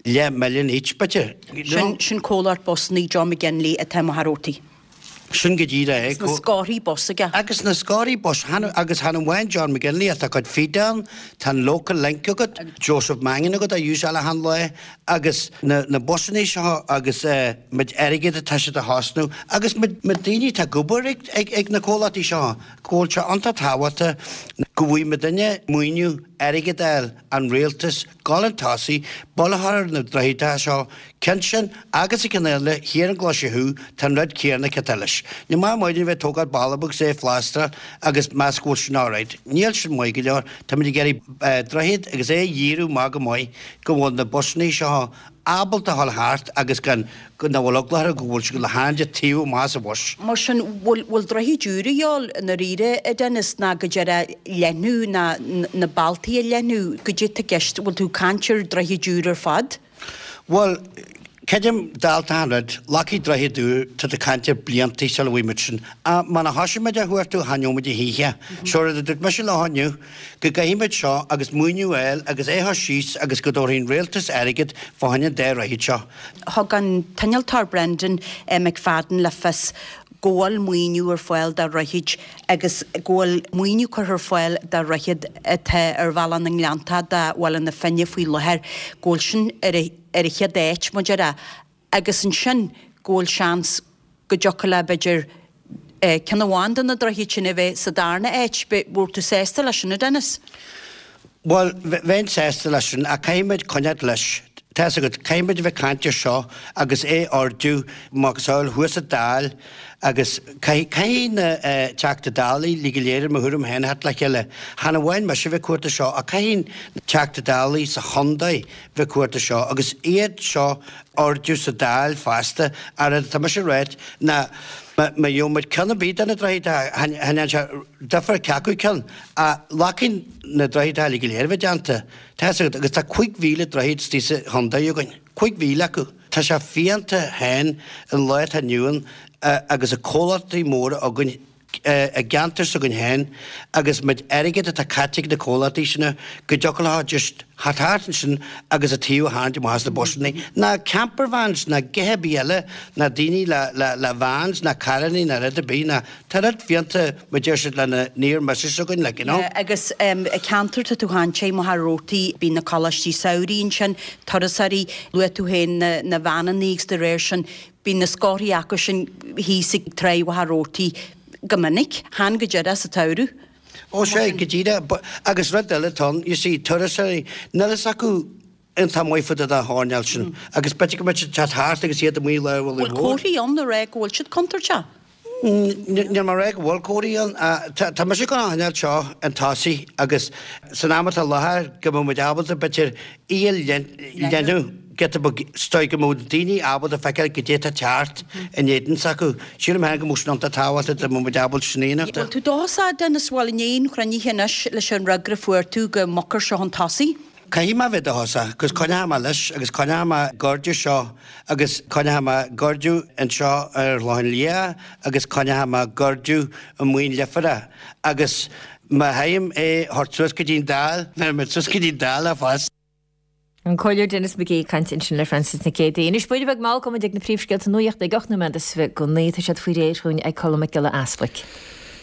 Speaker 9: leath milliún each b'fhéidir you
Speaker 10: know. Sin comhlacht busannaí John McGinley atá i Machaire Rabhartaigh.
Speaker 9: Sin go díreach é.
Speaker 10: Agus na scórthaí bus aige.
Speaker 9: Agus na scórthaí bus, agus chan amháin John McGinley ach tá cuid Feda ann, tá an Local Link agat, Joseph Mangan agat á úsáil achan lá agus na na busannaí seo agus méid airgid atá siad a chosnú agus méid daoine atá ag obair ag ag ag na comhlachtaí seo go bhfuil sé iontach tábhachtach go bhfaighidh muidinne maoiniú airgead a fháil an rialtas gabháil chun tosaigh, bail a chur ar na droichid seo, ceann sin agus an ceann eile thiar an gClaise Thuaidh, tá an rud céanna ciontach leis. Ní maith muidne bheith ag tógáil balla beag 's é a phlástráil agus meas go bhfuil sin alright. Níl sin maith go leor, táimid ag iarraidh droichead agus é a dhíriú maith go maith go bhfuil na busannaí seo ábalta a dhul thart agus gan, go nach bhfuil eagla orthu go bhfuil siad le hainm taobh amach as an bhus.
Speaker 10: Mar sin, bhfuil, bhfuil droichid úr a dhíobháil i ndáiríre, a Dennis, ná go deireadh leathnú ná na bealtaí a leathnú, goidé tá i gceist, bhfuil tú ag caint ar droichid úr ar fad?
Speaker 9: Bhuel, Creidim, dálta an rud, glacfaidh droichead úr, tá tú ag caint ar bliantaí sula bhfaighidh muid sin. Ach má thosaigh muid á chuartú, chan gheobhaidh muid a choíche. So rud a dúirt mise leo inniu, go gcaithfidh muid seo agus maoiniú a fháil agus é a chur síos agus go dtabharfaidh an rialtas airgead fá choinne an dá dhroichead seo.
Speaker 10: Thug an t-innealtóir Brendan McFadden le fios go bhfuil maoiniú ar fáil do dhroichid agus go bhfuil maoiniú curtha ar fáil do dhroichead atá ar Bhealach na nGleanntach do Bhaile na Finne faoi láthair, go bhfuil sin ar a ar an chéad áit, mar a déarfá, agus ansin go bhfuil seans go dtiocfadh le, b'fhéidir, ceann amháin de na droichid sin a bheith sa darna áit. Bheadh tú sásta leis sin, a Dennis?
Speaker 9: Bhuel, bheinn sásta leis sin, ach caithfidh muid coinneáil leis. Tá 'fhios agat, caithfidh muid a bheith ag caint ar seo agus é a ardú, macasamhail thuas sa Dáil agus caithfidh, caithfidh na Teachta Dála uilig go léir, i mo thuairim féin, a theacht le chéile. Chan amháin mise a bheith ag cuartú seo, ach caithfidh na Teachta Dálaí sa chontae bheith ag cuartú seo agus iad seo a ardú sa Dáil fosta. An rud atá mise a ráit ná má gheobhaidh muid ceann ar bith de na droichid, chan dhéanann sé difear cé acu ceann, ach glacfaidh na droichid uilig go léir a bheith déanta. Tá 'fhios agat, agus tá 5,000 droichead istigh sa chontae againn, 5,000 acu. Tá sé fiánta féin an lá atá inniu ann agus na comhlachtaí móra againn, i gceantar s'againn féin agus méid airgid atá caite ag na comhlachtaí sin go dtiocfadh leo just theacht thart ansin agus an taobh a tharraingt amach as na busanna, ná camper vans ná githe ar bith eile ná daoine le le le vans ná carrannaí ná rud ar bith ná tá rud fiánta mar deir siad le na near misses againn like you know.
Speaker 10: Yeah agus i ceantar tá tú ag caint air Machaire Rabhartaigh bíonn na coláistí samhraidh ansin, turasóirí, luaigh tú féin na na veaineannaí agus de réir sin Bíonn na scórthaí acu sin thíos ag Tráigh Mhachaire Rabhartaigh go minic, chan go díreach sa tsamhradh.
Speaker 9: Ó sea, go díreach. Agus rud eile atá ann, you see, turasóirí, níl fhios acu iontach maith fá dtaobh den choirnéal sin agus b'fhéidir go mbeidh siad ag teacht thart agus iad amuigh lá Mhullaigh
Speaker 10: Bhfuil
Speaker 9: Mhór.
Speaker 10: comharthaí ann a rá go bhfuil siad contúirteach?
Speaker 9: Níl mé ag rá go bhfuil comharthaí ann. Tá mise ag gabháil a choinneáil seo chun tosaigh agus san am atá i láthair go mbeidh muid ábalta b'fhéidir í a leathnú giota beag is dóigh go mbeadh daoine ábalta feiceáil goidé atá ag teacht in éadan s'acu. Sílim féin go mbeadh sin iontach tábhachtach dá mbeadh muid ábalta sin a dhéanamh.
Speaker 10: Bhfuil tú dóchasach, Dennis, bhuel i ndiaidh an chruinnithe anois leis an fhreagra a fuair tú go mbogfar seo chun tosaigh?
Speaker 9: Caithfidh mé a bheith dóchasach, 'cause coinneoidh mé leis agus coinneoidh mé ag ardú seo agus coinneoidh mé ag ardú anseo ar an Chlochán Liath agus coinneoidh mé ag ardú i Muin Lifeara agus má fhaighim é a thabhairt suas go dtí an Dáil, bhéarfaidh mé suas go dtí an Dáil é fosta.
Speaker 1: An Comhairleoir Denis McGee ag caint ansin le Frances Nic Géadaigh. Anois buaine beag mall gabhfaidh muid ag na príomhscéalta nuachta ag 8 nóiméad is 29. Tá siad faoi réir dhúinn ag Colm Mac Giolla Easbuic.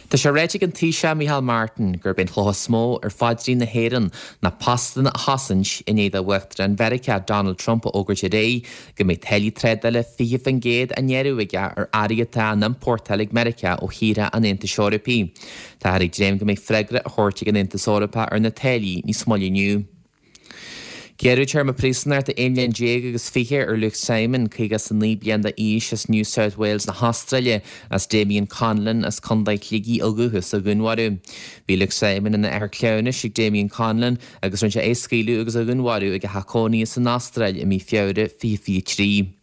Speaker 2: Tá sé ráite ag an Taoiseach Micheál Martin gurb é an chloch is mó ar phaidrín na hÉireann ná postanna a chosaint i ndiaidh do Uachtarán Mheiriceá Donald Trump a fhógairt aréir go mbeidh táillí trádála 20% á ngearradh aige ar earraí atá á n-iompórtáil ag Meiriceá ó thíortha an Aontais Eorpaigh. Táthar ag dréim go mbeidh freagra á thabhairt ag an Aontas Eorpach ar na táillí níos moille inniu. Gearradh téarma príosúnachta 11 mbliain agus 20 ar Luke Simon, 59 bliain d'aois, as New South Wales na hAstráile, as Damien Conlon as Contae Shligigh ó dhúchas a dhúnmharú. Bhí Luke Simon ina athair cleamhnais ag Damien Conlon agus rinne sé é a scaoileadh agus a dhúnmharú ag a theach cónaithe san Astráil i mí Feabhra 2023.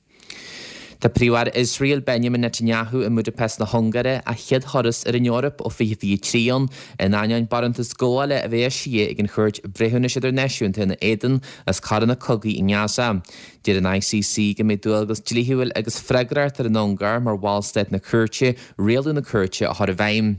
Speaker 2: Tá Príomh-Aire Iosrael, Benjamin Netanyahu i mBudapest na hUngáire, a chéad thuras ar an Eoraip ó 2023 ann, in ainneoin barántas gabhála a bheith eisithe ag an Chúirt Bhreithiúnais Idirnáisiúnta ina éadan as coireanna cogaidh i nGaza. Deir an ICC go mbeidh dualgas dlíthiúil agus freagracht ar an Ungáir mar bhallstát na cúirte rialú na cúirte a chur i bhfeidhm.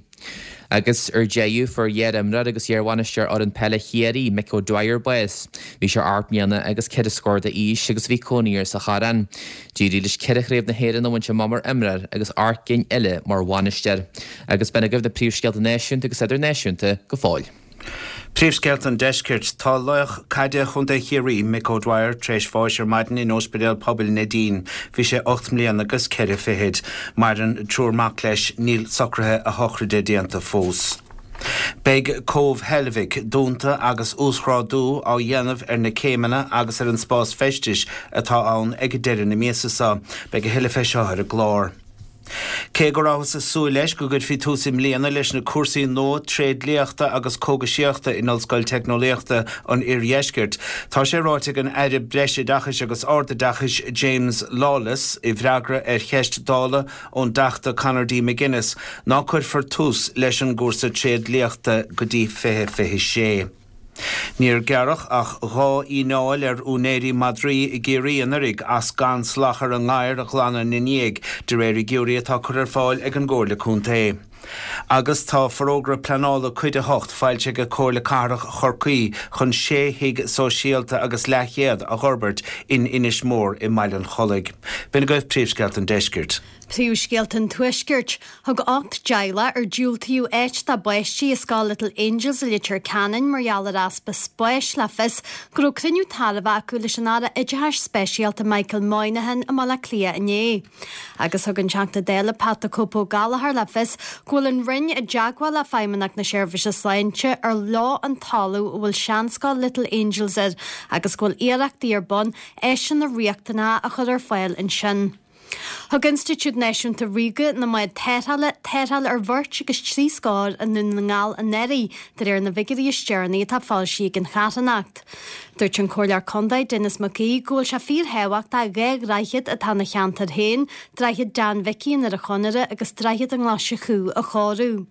Speaker 2: Agus ar deireadh, fuair iar-imreoir agus iar-bhainisteoir fhoireann peile Chiarraí, Mick O'Dwyer bás. Bhí sé 8 mbliana agus 4 scór d'aois agus bhí cónaí air sa Choireán. D'éirigh leis 4 chraobh na hÉireann a bhaint amach mar imreoir agus 8 gcinn eile mar bhainisteoir. Agus b'in agaibh na príomhscéalta náisiúnta agus idirnáisiúnta go fóill.
Speaker 3: Príomhscéalta an Deiscirt, Tá laoch caide Chontae Chiarraí, Mick O'Dwyer, tar éis bháis ar maidin in Ospidéal Pobail Neidín. Bhí sé 8 mbliana agus 4 fichid. Maireann triúr mac leis. Níl socruithe a shochraide déanta fós. Beidh Cóbh Heilbhic dúnta agus uasghrádú á dhéanamh ar na céimeanna agus ar an spás feistis atá ann ag deireadh na míosa seo. Beidh a thuilleadh fé seo ar an gclár. Cé go rabhthas ag súil leis go gcuirfí tús i mbliana leis na cúrsaí nua tréidliachta agus cógaisíochta in Ollscoil Teicneolaíochta an Iardheiscirt, tá sé ráite ag an Aire Breisoideachais agus Ardoideachais James Lawless i bhfreagra ar cheist Dála ón dTeachta Conor D. McGuinness ná cuirfear tús leis an gcúrsa tréidliachta go dtí 2026. Níor gearradh ach 2 fhíneáil ar úinéirí madraí i gCiarraí anuraidh as gan salachar a ngadhar a ghlanadh ina ndiaidh, de réir fhigiúirí atá curtha ar fáil ag an gComhairle Contae. Agus tá Forógra Pleanála Cuid 8 foilsithe ag Comhairle Cathrach Chorcaí chun sé thigh sóisialta agus leathchéad a dh'fhorbairt in Inis Mór i mBaile an Chollaigh. B'in agaibh príomhscéalta an deiscirt.
Speaker 4: Príomhscéalta an Tuaiscirt. Thug 8 dteaghlach ar diúltaíodh áit dá bpáistí i scoil Little Angels i Leitir Ceanainn mar gheall ar easpa spáis le fios go raibh cruinniú tairbhe acu leis an Aire Oideachais Speisialta Michael Moynihan i mBaile Átha Cliath inné. Agus thug an Teachta Dála Pat 'The Cope' Ó Gallchóir le fios go bhfuil an Roinn i dteagmháil le Feidhmeannacht na Seirbhíse Sláinte ar leo an talamh a bhfuil seanscoil Little Angels air agus go bhfuil iarrachtaí ar bun áiseanna riachtanacha a chur ar fáil ansin. Thug Institiúid Náisiúnta Ríoga na mBád Tarrthála tarrtháil ar bheirt agus trí scór i nDún na nGall anuraidh, de réir na bhfigiúirí is deireanaí atá foilsithe ag an charthanacht. Dúirt an Comhairleoir Contae Denis Mac Aoidh go bhfuil sé fíorthábhachtach 2 dhroichead atá ina cheantar féin, Droichead Dan Mhicí i nDoire Chonaire agus Droichead an Ghlaise Chú, a chóiriú.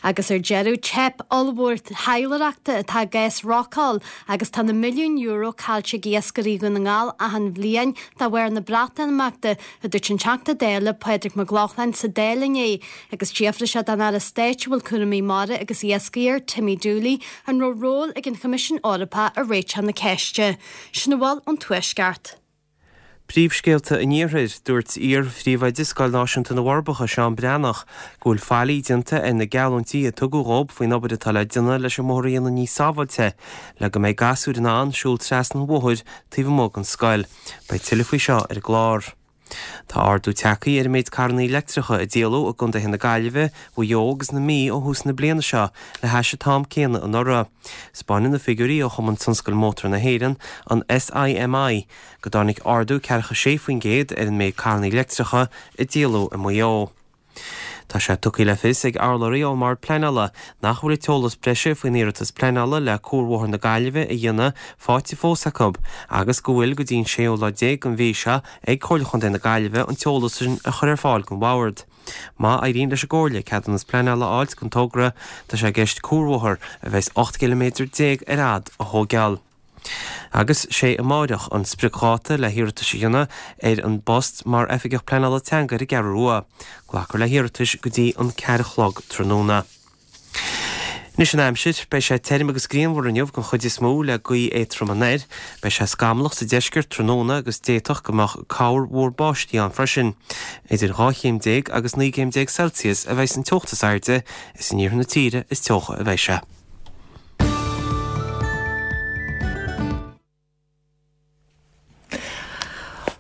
Speaker 4: Agus ar deireadh, teip ollmhór taidhleoireachta atá i gcás Rockall agus tá na milliúin euro caillte ag iascairí Dhún na nGall achan bhliain de bharr na Breatimeachta, a dúirt an Teachta Dála Pádraig Mac Lochlainn sa Dáil inné agus d'fhiafraigh sé den Aire Stáit a bhfuil cúraimí mara agus iascaigh air, Timmy Dooley, an raibh ról ag an Choimisiún Eorpach i réiteach na ceiste. Sin a bhfuil ón Tuaisceart.
Speaker 5: Príomhscéalta an Iarthair, Dúirt iar-phríomhoide Scoil Náisiúnta na bhForbacha, Seán Breathnach, go bhfuil faillí déanta ar na geallúintí a tugadh dhób faoin obair atá le déanamh leis an mbóthar a dhéanamh níos sábháilte le go mbeidh gasúir in ann siúl trasna an bhóthair taobh amuigh den scoil. Beidh tuilleadh faoi seo ar an gclár. Tá ardú tagtha ar an méid carrannaí leictreacha a díoladh i gcontaetha na Gaillimhe, Mhaigh Eo agus na Mí ó thús na bliana seo le hais an t-am céanna anuraidh. 'Spáineann na figiúirí ó Chumann Tionscail Mótar na hÉireann, an SIMI, go dtáinig ardú ceathracha 6% ar an méid carrannaí leictreacha a díoladh i Maigh Eo. Tá sé tugtha le fios ag urlabhraí ón mBord Pleanála nach bhfuil an t-eolas breise faoin iarratas pleanála le Cuarbhóthar na Gaillimhe a dhéanamh faighte fós acu agus go bhfuil go dtí an séú lá déag den mhí seo ag Comhairle Chontae na Gaillimhe an t-eolas sin a chur ar fáil don Bhord. Má éiríonn leis an gComhairle ceadúnas pleanála a fháilt don togra, tá sé i gceist cuarbhóthar a bheas 18 gciliméadar ar fhad a thóigeáil. Agus sé amáireach an spriocdháta le hiarratais a dhéanamh ar an bpost mar Oifigeach Pleanála Teanga ar an gCeathrú Rua. Glacfar le hiarratais go dtí an ceathair a chlog tráthnóna. Anois an aimsir, beidh sé tirim agus grianmhar inniu den chuid is mó le gaoth éadtrom anoir. Beidh sé scamallach sa deisceart tráthnóna agus d'fhéadfadh go mbeadh corr mhór báistí ann freisin. Idir 12 chéim agus 19 gcéim Celsius a bheidh an teocht is airde, is in iarthar na tíre is teocha a bheidh sé.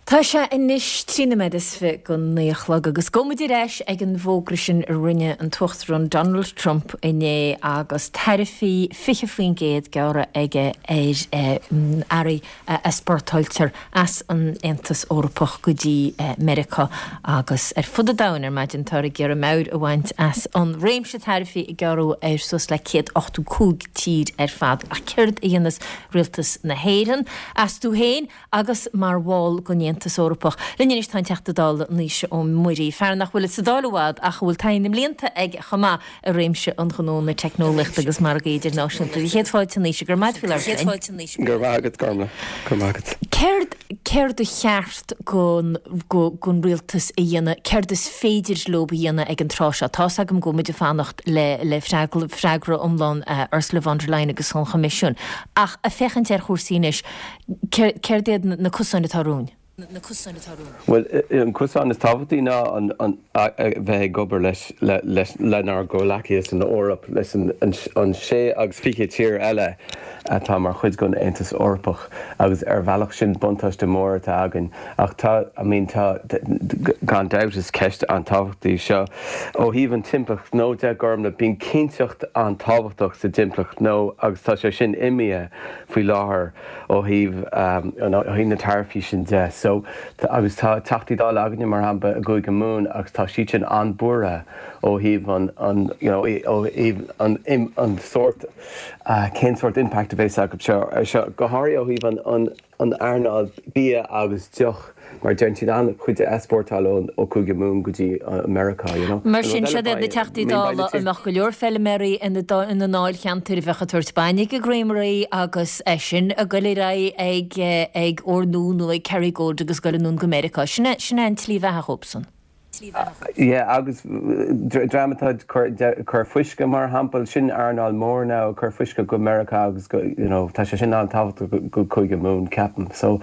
Speaker 1: Tá sé anois 23 nóiméad go 9 a chlog agus gabhfaidh muid ar ais ag an bhfógra sin a rinne an tUachtarán Donald Trump inné agus taraifí 20% gearrtha aige ar earraí a easpórtáiltear as an Aontas Eorpach go dtí Meiriceá agus ar fud an domhain ar maidin. Táthar ag iarraidh meabhair a bhaint as an réimse taraifí a gearradh ar suas le 185 tír ar fad. Ach céard a dhéanfas rialtas na hÉireann astu féin agus mar bhall den Aontas Eorpach? Linn anois tá an Teachta Dála Naoise Ó Muirí, fear nach bhfuil sa Dáil i bhfad ach a bhfuil taithí na mblianta aige chomh maith i réimse an ghnó, na teicneolaíochta agus margaí idirnáisiúnta. Chéad fáilte Naoise, go raibh maith agat faoi labhairt
Speaker 11: linn. Go raibh maith agat, Gormlaith. Go raibh maith agat.
Speaker 1: Céard, céard a cheart gon, gon rialtas a dhéanamh, céard is féidir leo a dhéanamh ag an tráth seo? Tá's agam go bhfuil muid ag fanacht le, le freagra, freagra iomlán Ursula von der Leyen agus an Choimisiúin, ach ag féachaint ar chúrsaí anois, céard, céard iad na cosáin atá romhainn?
Speaker 11: Bhuel, an cosán is tábhachtaí ná a bheith ag obair leis, lenár gcomhghleacaithe san Eoraip, leis an sé agus fiche tír eile atá mar chuid den Aontas Eorpach agus ar bhealach sin buntáiste mór atá againn. Ach tá, I mean, tá, gan dabht is ceist an-tábhachtach í seo. Ó thaobh an timpeallacht ghnó de, Gormlaith, bíonn cinnteacht an-tábhachtach sa timpeallacht ghnó agus tá sé sin imithe faoi láthair. ó thaobh ó thaobh na taraifí sin de. So, agus tá Teachtaí Dála againne mar shampla i gCúige Mumhan agus tá siad sin an-buartha ó thaobh an an you know ó thaobh an an sórt cén sórt impact a bheas acu seo ar seo, go háirithe ó thaobh an an. an earnáil bia agus deoch mar déanann siad an-chuid easpórtáil ó Cúige Mumhan go dtí Meiriceá, you know.
Speaker 1: Mar sin, siad iad na Teachtaí Dála a mbeadh go leor feilméaraí ina ndáilcheantair a bheadh ag tabhairt bainne ag an gcreamery agus eisean ag goil ar aghaidh ag ag Ornua nó ag Kerrygold agus goil anonn go Meiriceá. Sin é sin é an tslí bheatha dhóibhsan.
Speaker 11: Yeah, agus dream atá ag cur fuisce mar shampla, sin earnáil mór now, ag cur fuisce go Meiriceá agus go, you know, tá sé sin an-tábhachtach go Cúige Mumhan, ceapaim. So,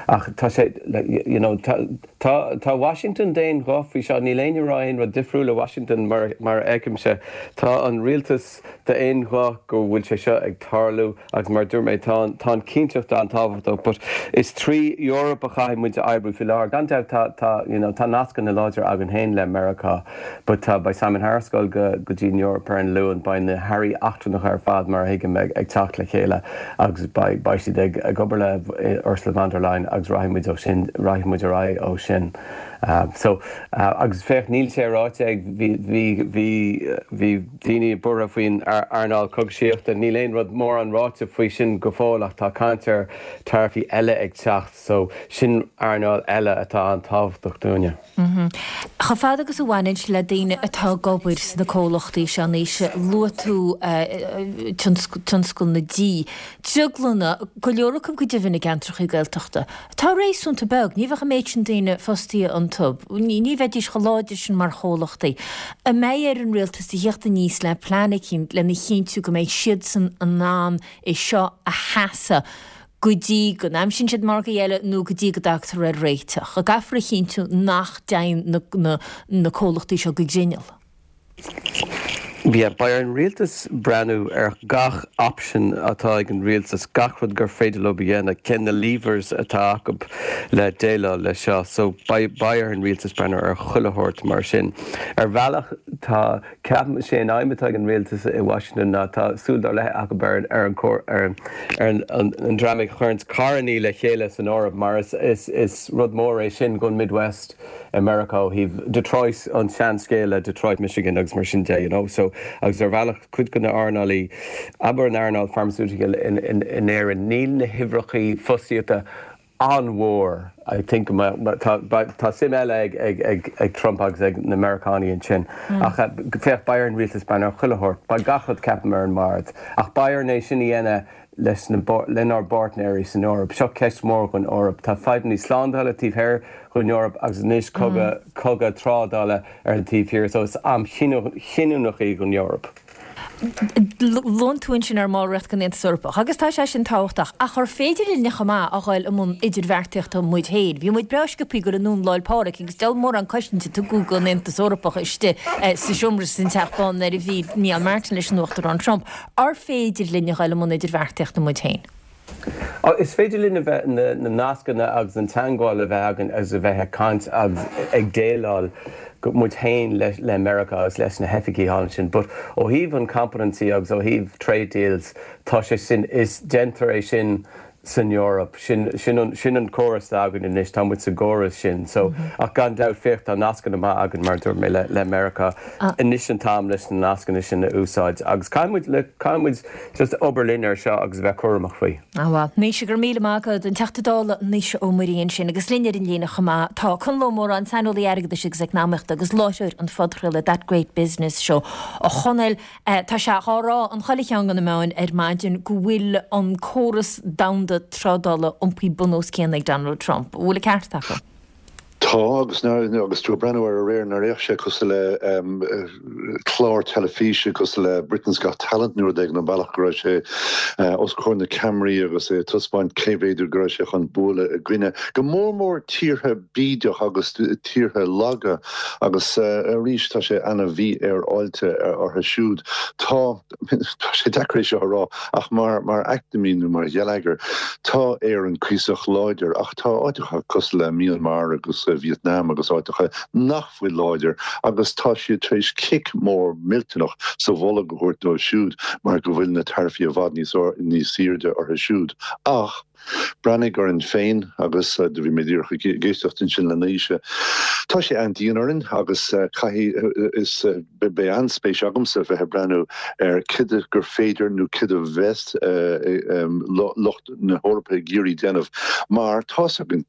Speaker 11: ach tá sé, like, you know, tá, tá, tá Washington d'aon ghuth faoi seo, níl éinne ag rá aon rud difriúil i Washington mar, mar a fheicimse. Tá an rialtas d'aon ghuth go bhfuil sé seo ag tarlú. Agus mar a dúirt mé, tá an, tá an chinnteacht an-tábhachtach, but is trí Eoraip a chaithfidh muid a oibriú faoi láthair. Gan dabht tá, tá, you know, tá nascanna láidre againn féin le Meiriceá, but tá, beidh Simon Harris ag dul go, go dtí an Eoraip ar an Luan, beidh na hairí eachtrannacha ar fad, mar a thuigim, ag, ag teacht le chéile agus beidh, beidh siad ag, ag obair le Ursula von der Leyen agus rachaidh muid ó sin, rachaidh muid ar aghaidh ó sin. So, agus féach, níl sé ráite ag, bhí, bhí, bhí, bhí, daoine buartha faoin earnáil cógaisíochta. Níl aon rud mórán ráite faoi sin go fóill ach tá caint ar taraifí eile ag teacht so sin earnáil eile atá an-tábhachtach dúinne.
Speaker 1: Chomh fada agus a bhaineann sé le daoine atá ag obair sna comhlachtaí seo anois, luaigh tú tionscal na dí, drioglanna, go leor acu go deimhin i gceantracha Gaeltachta. Atá réasúnta beag, ní bheadh an méid sin daoine fostaithe iontu, ní bheidís chomh láidir sin mar chomhlachtaí. An mbeidh ar an rialtas a thíocht aníos le plean eicínt lena chinntiú go mbeidh siadsan in ann é seo a sheasamh go dtí go n-aimsíonn siad margaí eile nó go dtí go dtagtar ar réiteach? An gcaithfear a chinntiú nach dtéann na comhlachtaí seo go grinneall?
Speaker 11: Yeah, beidh ar an rialtas breathnú ar gach option atá ag an rialtas, gach rud gur féidir leo a dhéanamh, cén na levers atá acu le déileáil leis seo. So beidh, beidh ar an rialtas breathnú ar chuile shórt mar sin. Ar bhealach tá, ceapaim, sé an aidhm atá ag an rialtas i Washington ná tá súil dár leith acu ar, ar an, ar an, ar an, an dream a chuireanns carrannaí le chéile san Eoraip mar is, is, is rud mór é sin don Midwest. i Meiriceá ó thaobh Detroit, an seanscéal le Detroit, Michigan agus mar sin de, you know. So, agus ar bhealach, cuid de na earnálaí, abair an earnáil pharmaceutical in, in, in Éirinn, níl na huimhreachaí fostaíochta an-mhór. I think go mbeadh, tá, tá suim eile ag, ag, ag, ag Trump agus ag na Meiriceánaigh ansin. Ach féach, beidh ar an rialtas breathnú ar chuile shórt, beidh gach rud, ceapaim, ar an mbord. Ach beidh orainn é sin a dhéanamh leis na, lenár bpáirtnéirí san Eoraip. Seo ceist mhór don Eoraip. Tá fadhbannaí slándála taobh thoir den Eoraip agus anois cogadh, cogadh trádála ar an taobh thiar. So is am chinniúnach í don
Speaker 1: Eoraip. Luann tú ansin ár mballraíocht den Aontas Eorpach agus tá sé sin tábhachtach, ach ar féidir linne chomh maith a dhul i mbun idirbheartaíochta muid féin? Bhí muid breá sciobthaí ag dul anonn Lá 'le Pádraig agus diabhal mórán cosaint a tugadh don Aontas Eorpach istigh sa seomra san Teach Bán nuair a bhí Micheál Martin leis an Uachtarán Trump. Ar féidir linn a dhul i mbun idirbheartaíochta muid féin?
Speaker 11: Is féidir linn a bheith, na nascanna agus an teangmháil a bheith againn agus a bheith ag caint agus ag déileáil muid féin le Meiriceá agus leis na hoifigí thall ansin. But ó thaobh an competency agus ó thaobh trade deals, tá sé sin, is, déantar é sin san Eoraip. Sin, sin an, sin an córas atá againn anois, tá muid sa gcóras sin. So, ach gan dabht, féach, tá nascanna maith againn, mar a dúirt mé, le, le Meiriceá. Anois an t-am leis na nascanna sin a úsáid agus caithfidh muid, le, caithfidh muid just obair linn ar seo agus a bheith cúramach faoi.
Speaker 1: Ah bhuel, Naoise, go raibh míle maith agat, an Teachta Dála Naoise Ó Muirí ansin agus linn ar an líne chomh maith tá Conall Ó Móráin, saineolaí airgeadais agus eacnamaíochta agus láithreoir an phodchraolta That Great Business Show. A Chonaill, Tá sé dhá rá in chuile cheann de na meáin ar maidin go bhfuil an córas domhanda trádála iompaithe bun os cionn ag Donald Trump. An bhfuil an ceart acu?
Speaker 12: Tá, agus agus tú ag breathnú air aréir, nár fhéach sé cosúil le clár teilifíse, cosúil le Britain's Got Talent nó rud éigin, an bealach go raibh sé os comhair na ceamaraí agus é ag taispeáint cé mhéad go raibh sé chun bualadh i gcoinne, go mór mór tíortha bídeach agus tíortha laga. Agus arís, tá sé ana-mhífhéaráilte orthu siúd. Tá, tá sé deacair é seo a rá, ach mar, mar eacnamaí nó mar gheilleagar, tá Éirinn cuíosach láidir, ach tá áiteacha cosúil le Myanmar agus Vietnam agus áiteacha nach bhfuil láidir agus tá siad tar éis cic mór millteanach sa bholg a thabhairt dóibh siúd mar go bhfuil na taraifí i bhfad níos, níos airde orthu siúd. Ach. Breathnaigh orainn féin agus do bhí mé díreach ag éisteacht ansin le Naoise. Tá sé an-dian orainn agus caithfidh, is, beidh an-spéis agamsa bheith ag breathnú ar cad gur féidir nó cad a bheas lucht na hEorpa ag iarraidh déanamh mar tá's againn,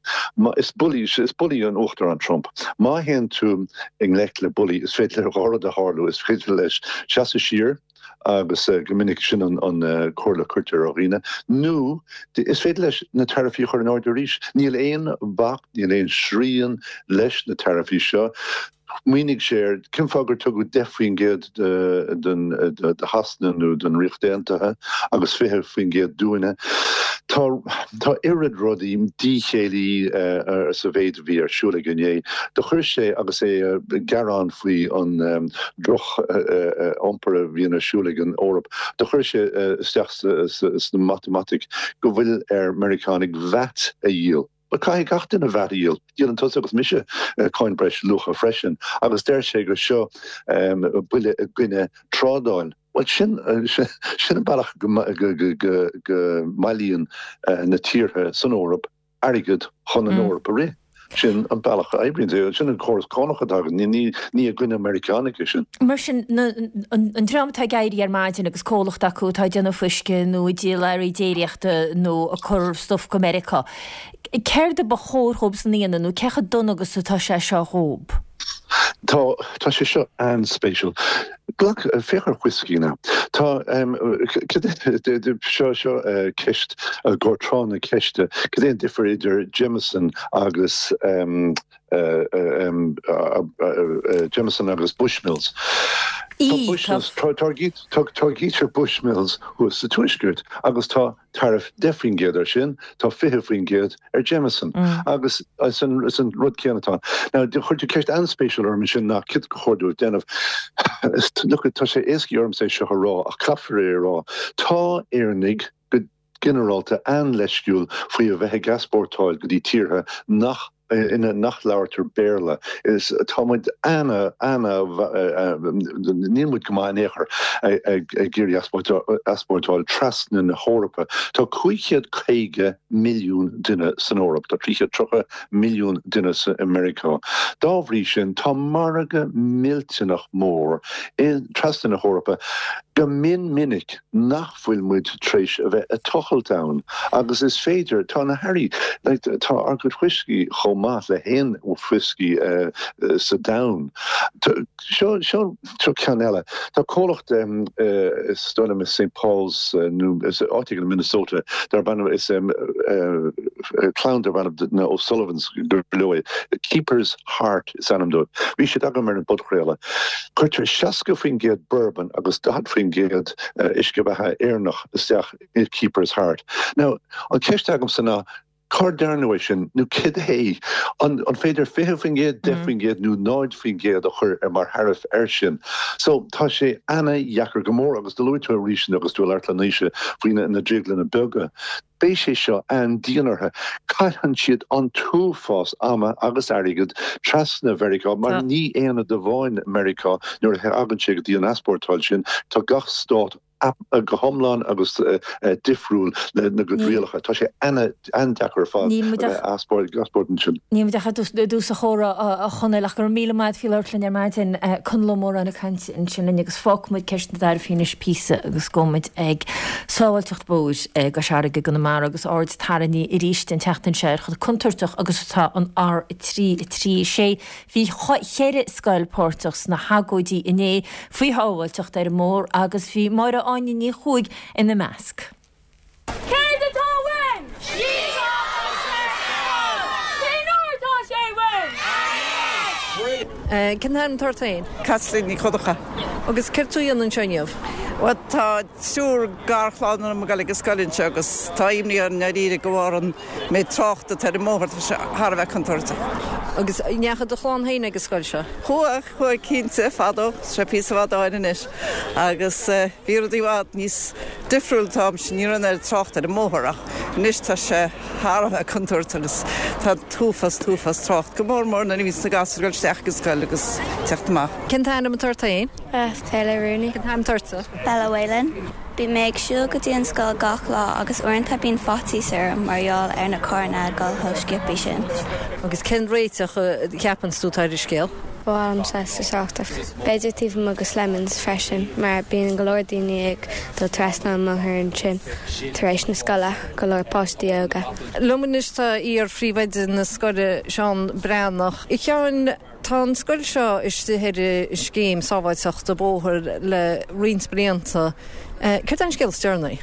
Speaker 12: is bullaí, is bullaí an Uachtarán Trump. Má théann tú i ngleic le bullaí is féidir le dhá rud a tharlú, is féidir leis seasamh siar, agus go minic sin an comhairle a cuirtear ar dhaoine, nó is féidir leis na taraifí a chur in airde arís. Níl aon bhac, níl aon srian leis na taraifí seo. Smaoinigh sé ar cén fáth gur tugadh 10% do Shasana nó don Ríocht Aontaithe agus 20% dúinne. Tá tá oiread rudaí díchéillí sa mhéid a bhí ar siúl aige inné. Do chuir sé agus é ag gearán faoi an droch iompar a bhíonn ar siúl ag an Eoraip. Do chuir sé isteach sna matamaitic go bhfuil ar Meiriceánaigh VAT a dhíol. Bhuel, caithfidh gach duine VAT a dhíol. Díolann tusa agus mise cáin breis luacha freisin. Agus deir sé gur seo buille i gcoinne trádáil. Bhuel, sin sin an bealach go mbailíonn na tíortha san Eoraip airgead chun an Eoraip a rith. Sin an bealach a oibríonn sé. Sin an córas cánach atá againn. Ní i gcoinne Meiriceánaigh é sin.
Speaker 1: Mar sin, an dream atá ag éirí ar maidin agus comhlacht acu atá ag déanamh fuisce nó ag díol earraí déiríochta nó ag cur stuif go Meiriceá, céard a ba chóir dhóibhsan a dhéanamh nó cé chomh dona agus atá sé seo dhóib?
Speaker 12: Tá, tá sé seo an-spéisiúil. Glac, féach ar whiskey now. Tá, seo, seo ceist, i gcomhair tráth na ceiste, cad é an difear idir Jameson agus, Jameson agus Bushmills? Tá Bushmills, táirgítear Bushmills thuas sa Tuaisceart agus tá tariff 10% air sin, tá 20% ar Jameson. Agus is an rud céanna atá ann. Now, chuir tú ceist an-spéisiúil orm ansin ná céard ba chóir dóibh déanamh. Look, tá sé éascaí ormsa é seo a rá ach caithfear é a rá. Tá Éireannaigh go ginearálta an-leisciúil faoi a bheith ag easpórtáil go dtí tíortha nach ina nach labhartar Béarla. Is tá muid ana, ana, níl muid go maith in aon chor ag iarraidh easpórtáil trasna na hEorpa. Tá 550 milliún duine san Eoraip, tá 330 milliún duine i Meiriceá. Dá bhrí sin, tá margadh millteanach mór trasna na hEorpa go mion minic nach bhfuil muid tar éis a bheith ag tochailt ann agus is féidir, tá na hearraí, like, tá ár gcuid whiskey chomh maith le haon whiskey sa domhan. Seo, seo, seo ceann eile. Tá comhlacht, is dóigh liom i St Paul's nó is áit éigin i Minnesota darb ainm, is clann darb ainm na O'Sullivans gur leo é, Keeper's Heart is ainm dóibh. Bhí siad agam ar an bpodchraoladh. Cuirtear 60% bourbon agus 40% uisce beatha Éireannach isteach i Keeper's Heart. Now, an cheist agamsa ná, cár dearnadh é sin nó cad é? An féidir 20%, 10% nó 0% a chur ar mar tharaif air sin? So, tá sé ana-dheacair go mór agus do luaigh tú arís agus tú ag labhairt le Naoise faoi na drioglanna beaga. Beidh sé seo an-dian orthu. Caitheann siad an t-uafás ama agus airgid trasna Mheiriceá mar ní aonad amháin Meiriceá nuair a thagann sé go dtí an easpórtáil sin. Tá gach stát go hiomlán agus difriúil lena gcuid rialacha. Tá sé an-deacair ar fad a bheith ag easpórtáil ansin.
Speaker 1: Níl muid ach i dtús an chomhrá, a Chonaill, ach go raibh míle maith agat faoi labhairt linn ar maidin. Conall Ó Móráin ag caint ansin linn agus fágfaidh muid ceist na dtaraifí anois píosa agus gabhfaidh muid ag sábháilteacht bóthair i gCois Fharraige i gConamara agus aird tarraingthe arís an tseachtain seo ar chomh contúirteach agus atá an R3 3 6. Bhí cheithre scoil páirteach sna hagóidí inné faoi shábháilteacht ar an mbóthar agus bhí Máire Áine Ní Chuaig ina measc.
Speaker 13: Céard atá uainn? Cén uair atá sé uainn?
Speaker 14: Cén t-ainm atá ort féin?
Speaker 15: Caitlín Ní Dhonncha.
Speaker 14: Agus céard tú a dhéanamh anseo inniu?
Speaker 15: Bhuel, tá triúr garchlann orm ag dul ag an scoil anseo agus tá imní orm i ndáiríre de bharr an méid tráchta atá ar an mbóthar, tá sé thar a bheith contúirteach.
Speaker 14: Agus an ndeachaigh do chlann féin ag an scoil seo?
Speaker 15: Chuaigh, chuaigh cinnte, fadó, tá sé píosa fada ó shin anois agus bhí rudaí i bhfad níos difriúil an t-am sin, ní raibh an oiread tráchta ar an mbóthar ach anois tá sé thar a bheith contúirteach agus tá an t-uafás, t-uafás trácht, go mór mór nuair a bhíonns na gasúir ag dul isteach ag an scoil agus teacht amach.
Speaker 14: Cén t-ainm atá ort féin?
Speaker 16: Taylor Rooney.
Speaker 14: Cén t-ainm atá ortsa?
Speaker 16: Bella Whelan. Bíonn mé ag siúl go dtí an scoil gach lá agus uaireanta bíonn faitíos orm mar gheall ar na carranna ag dul chomh sciobthaí sin.
Speaker 14: Agus cén réiteach a cheapann tú atá ar an scéal?
Speaker 17: Ba mhaith liom saghas tráchta, b'fhéidir taobh amuigh de Slemons freisin mar bíonn go leor daoine ag dul trasna an mbóthar ansin tar éis na scoile, go leor páistí óga.
Speaker 14: Liom anois tá iar-phríomhoide na scoile, Seán Breathnach. A Sheáin, Tá an scoil seo istigh ar an scéim sábháilteachta bóthair le roinnt blianta. Céard é an scéal is deireanaí?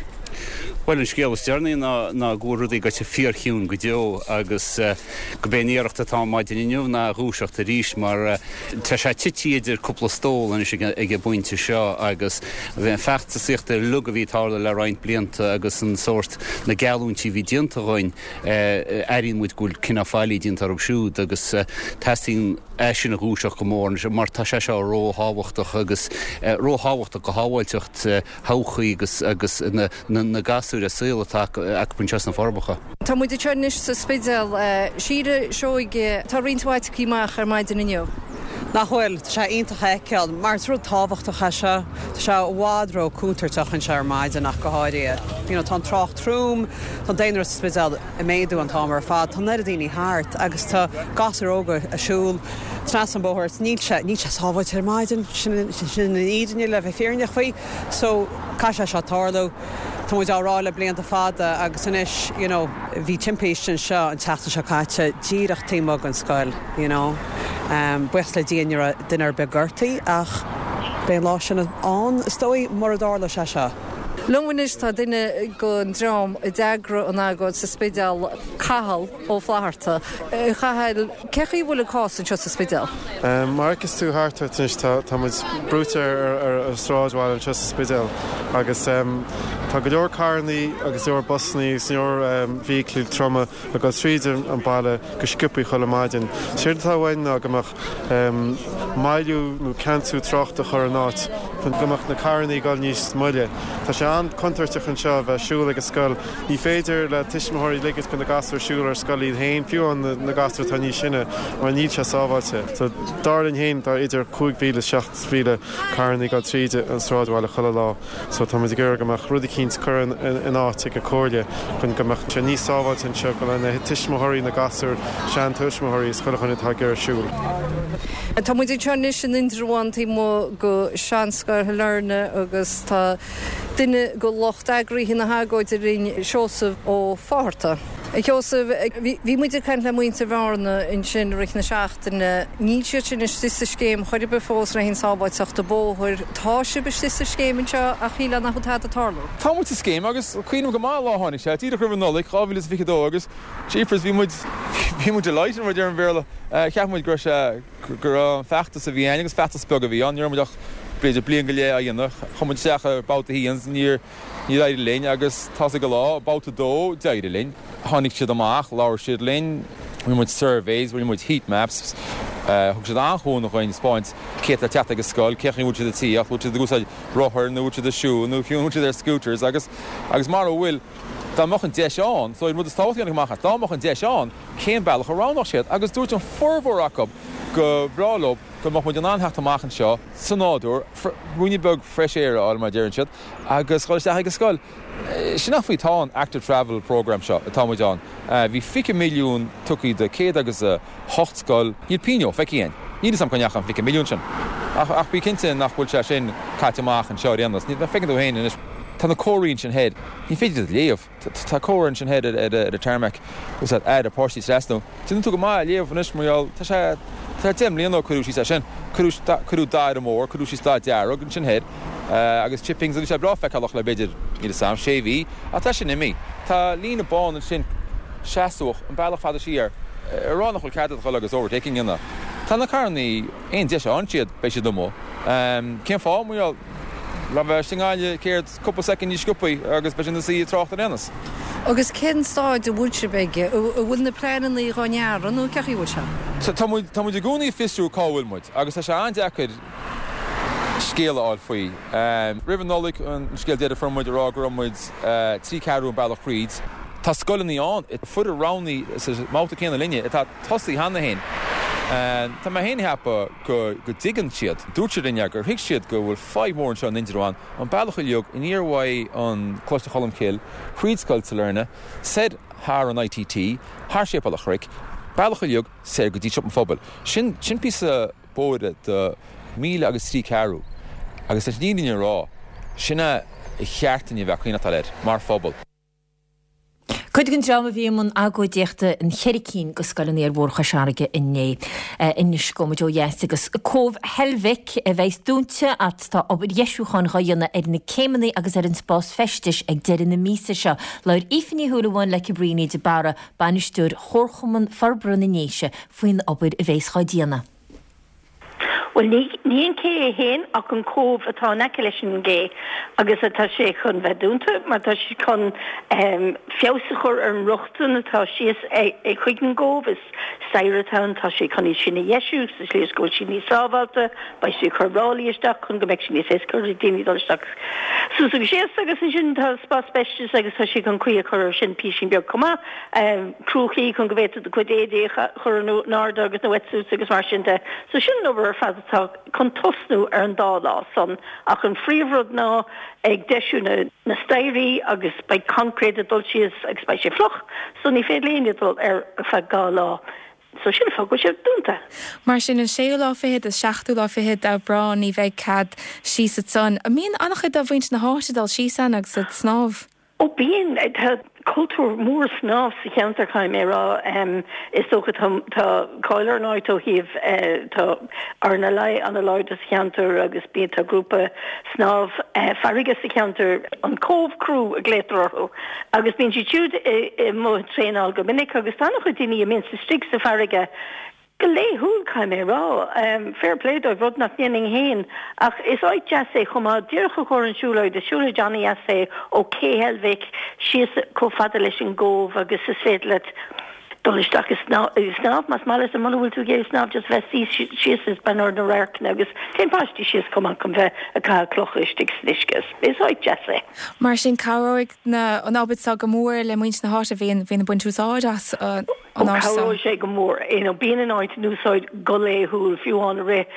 Speaker 18: Bhuel, an scéal is deireanaí ná ná go bhfuil rudaí gaibhte fíorchiúin go deo agus go b'é an iarracht atá ann maidin inniu ná a dhúiseacht arís mar tá sé tite idir cúpla stól anois ag an bpointe seo agus an feachtasaíocht uilig a bhí ag tarlú le roinnt blianta agus an sórt na geallúintí a bhí déanta dhúinn Airíonn muid go bhfuil cineál faillí déanta orthu siúd agus teastaíonn é sin a dhúiseacht go mór anois mar tá sé seo róthábhachtach agus róthábhachtach do shábháilteacht thodhchaí agus agus na na gasúir a saol atá acu anseo sna Forbacha.
Speaker 14: Tá muid anseo anois sa Spidéal. Síle Seoige, tá roinnt mhaith tagtha amach ar maidin inniu.
Speaker 19: Nach bhfuil? Tá sé iontach a fheiceáil mar is rud tábhachtach é seo. Tá sé i bhfad ró-contúirteach anseo ar maidin ach go háirithe. You know, tá an trácht trom, tá an daonra sa Spidéal ag méadú an t-am ar fad, tá an oiread daoine thart agus tá gasúir óga ag siúl trasna an bóthar. Níl sé, níl sé sábháilte ar maidin, sin, sin an fhírinne le bheith fírinneach faoi. So, caithfidh sé seo tarlú. Tá muid á rá le blianta fada agus anois, you know, bhí timpiste anseo an tseachtain seo caite díreach taobh amuigh den scoil. You know. Buíochas le Dia ní raibh duine ar bith gortaithe ach beidh an lá sin ann is dóigh mura dtarlóidh sé seo.
Speaker 14: Liom anois tá duine den dream a d'eagraigh an agóid sa Spidéal, Cathal Ó Flatharta. A Chathail, cé chaoi a bhfuil an cás anseo sa Spidéal?
Speaker 20: Mar a fheiceas tú thart ort anois tá tá muid brúite ar ar an sráidbhaile anseo sa Spidéal agus tá go leor carrannaí agus go leor busannaí agus go leor feithiclí troma ag dul tríd an baile go sciobthaí chuile maidin. Séard atá uainn ná go mbeadh moilliú nó ceansú tráchta a chur in áit chun go mbeadh na carrannaí ag dul níos moille. Tá sé an-chontúirteach anseo a bheith ag siúl ag an scoil. Ní féidir le tuismitheoirí ligint do na gasúir siúl ar scoil iad féin, fiú amháin na gasúir atá níos sine, mar níl sé sábháilte. So, dar linn féin, tá idir 5,000 is 7,000 carrannaí ag dul tríd an sráidbhaile chuile lá. So tá muid ag iarraidh go mbeadh rud eicínt curtha in áit ag an Comhairle chun go mbeadh sé níos sábháilte anseo go na tuismitheoirí, na gasúir, seantuismitheoirí is chuile dhuine atá ag iarraidh siúl.
Speaker 14: Tá muid anseo anois in Indreabhán taobh amuigh go Seanscoil Shailearna agus tá duine go lucht eagraithe na hagóide linn, Seosamh Ó Fátharta. A Sheosaimh, bhí muid ag caint le muintir Bhearna ansin i rith na seachtaine. Níl siad sin istigh sa scéim chor ar bith fós le haghaidh sábháilteachta bóthair. Tá sibh istigh sa scéim anseo ach shílfeá nach bhfuil tada ag tarlú.
Speaker 21: Tá muid sa scéim agus cuimhním go maith an lá a tháinig sé, díreach roimh an Nollaig, 2022 agus jeepers bhí muid, bhí muid delighted mar a deir an Bhéarla. Cheap muid go raibh sé, go raibh an feachtas a bhí ann agus feachtas beag a bhí ann, ní raibh muid ach b'fhéidir bliain go leith á dhéanamh. Chuaigh muid isteach ar babhta a haon, níor, Níor éirigh linn agus tá's ag an lá, babhta a dó, d'éirigh linn. Tháinig siad amach, labhair siad linn, rinne muid surveys, rinne muid heat maps, thug siad an-chúnamh dhuinn, spáint cé atá ag teacht ag an scoil, cén chaoi a bhfuil siad ag tíocht, bhfuil siad ag úsáid rothair nó bhfuil siad ag siúl nó fiú an bhfuil siad ar scooters agus agus mara bhfuil, dá mbeadh an deis ann, so an rud is tábhachtaí a tháinig amach as, dá mbeadh an deis ann, cén bealach a roghnódh siad agus dúirt an formhór acu go bhreá leo go mbeadh muid in ann theacht amach anseo sa nádúr, ruainne beag fresh air a fháil mar a deireann siad. agus dhul isteach ag an scoil. Sin an fáth atá an Active Travel Programme seo atá muid ann. Bhí 20 milliún tugtha do céad agus a hocht scoil. Níl pingin feicthe againn. Níl fhios agam cá ndeachaigh an 20 milliún sin. Ach ach bí cinnte nach bhfuil sé sin caite amach anseo ar aon nós. Feiceann tú féin anois, tá na comharthaí ansin thoir, ní féidir iad a léamh. Tá comhartha ansin thoir ar an tarmac, is aire páistí trasnú. Déanann tú go maith a léamh anois mar gheall, tá sé, tá sé 10 mbliana ó cuireadh síos é sin. Cuireadh, cuireadh dath ar an mbóthar, cuireadh síos dath dearg ansin thoir agus chippings agus bhí sé breá feiceálach le b'fhéidir, níl fhios a'm, sé mhí, ach tá sin imithe. Tá líne bán ansin seasmhach an bealach fada siar ag rá nach bhfuil cead agat dhul agus overtaking a dhéanamh. Tá na carrannaí, aon deis a fhaigheann siad, beidh siad amuigh. Cén fáth? Mar gheall, le bheith istigh i nGaillimh céard, cúpla soicind níos sciobthaí agus beidh siad ina suí i dtrácht ar aon nós.
Speaker 14: Agus cén staid a bhfuil sibh aige? An bhfuil na pleananna dhá ndearadh nó cén chaoi a bhfuil sé?
Speaker 21: Tá muid, tá muid i gcónaí ag fiosrú cá bhfuil muid agus tá sé an-deacair scéal a fháil faoi. Roimh an Nollaig, an scéal deiridh a fuair muid ag rá go raibh muid 3 ceathrú an bealach thríd. Tá scoileanna ann a fuair roghnaithe sa mbabhta céanna linne atá tosaithe cheana féin. Tá mé féin ag ceapadh go dtuigeann siad, dúirt siad linn gur thuig siad go bhfuil fadhb mhór anseo in Indreabhán, an bealach uilig aniar uaidh an Coláiste Cholmcille, thríd Scoil Sailearna, soir thar an ITT, thar Séipéal an Chnoic, bealach uilig soir go dtí Siopa an Phobail. Sin, sin píosa bóthair de mhíle agus trí ceathrú agus leis an fhírinne a rá, sin é a cheart dúinn a bheith ag coinneachtáil air mar phobal.
Speaker 1: Cuid den dream a bhí i mbun agóidíochta in cheithre cinn de scoileanna ar Bhóthar Chois Fharraige inné. Anois gabhfaidh muid ó dheas agus Cóbh Heilbhic a bheas dúnta ach tá obair dheisiúcháin dhá dhéanamh ar na céimeanna agus ar an spás feistis ag deireadh na míosa seo. Labhair Aoife Ní Shúilleabháin le Cabríona de Barra, Bainisteoir Chomharchumann Forbartha na nDéise, faoin obair a bheas dhá déanamh.
Speaker 6: Bhuel, ní, ní an cé é féin ach an cóbh atá in aice leis an gcé agus tá sé chun bheith dúnta mar tá siad chun feabhas a chur ar an rochtain atá síos chuig an gcóbh. Is staighre atá ann, tá siad chun iad sin a dheisiú sa tslí is go bhfuil siad níos sábháilte. Beidh siad ag cur ráillí isteach chun go mbeidh sé níos éasca do daoine dul isteach suas agus síos agus ansin tá spás feistis agus tá siad chun caoi a chur air sin písín beag chomh maith. Cruachaí chun go bhféadfá do chuid éadaí a chur in airde agus na wetsuits agus mar sin de. So sin an obair ar fad atá chun tosnú ar an dá lá san. Ach an phríomhrud ná ag deisiú na na staighrí agus beidh concrete ag dul síos agus beidh sé fliuch so ní féidir le éinne dul air ar feadh dhá lá. So sin an fáth go bhfuil sé dúnta.
Speaker 22: Mar sin an séú lá fichead is seachtú lá fichead d'Aibreán ní bheidh cead síos ansan. An mbíonn an-chuid de mhuintir na háite ag dul síos ann agus ag snámh?
Speaker 6: Ó bíonn, tá cultúr mór snámh sa cheantar caithfidh mé a rá. Is dócha tá tá cáil ar an áit ó thaobh tá RNLI an-láidir sa cheantar agus bíonn tá grúpa snámh farraige sa cheantar, an Cove Crew a ghlaotar orthu agus bíonn siad siúd i mbun traenáil go minic agus tá an-chuid daoine a mbíonns istigh sa bhfarraige Go laethúil, caithfidh mé a rá. Fair play dóibh, rud nach ndéanfainn féin. Ach is áit deas é chomh maith, díreach i gcomhair an siúlóid. Is siúlóid an-dheas é ó Cé Heilbhic síos chomh fada leis an gCóbh agus is féidir leat dul isteach ag snámh más maith leat, muna bhfuil tú ag iarraidh snámh just bheith suí síos is breathnú ar na radharcanna agus téann páistí síos chomh maith chun bheith ag caitheamh clocha istigh san uisce. Is áit deas é.
Speaker 22: Mar sin cabhróidh na an obair seo go mór le muintir na háite a bhíonn bhíonn ag baint úsáid as an
Speaker 6: Ó, cabhróidh sé go mór. You know, bíonn an áit in úsáid go laethúil, fiú amháin i rith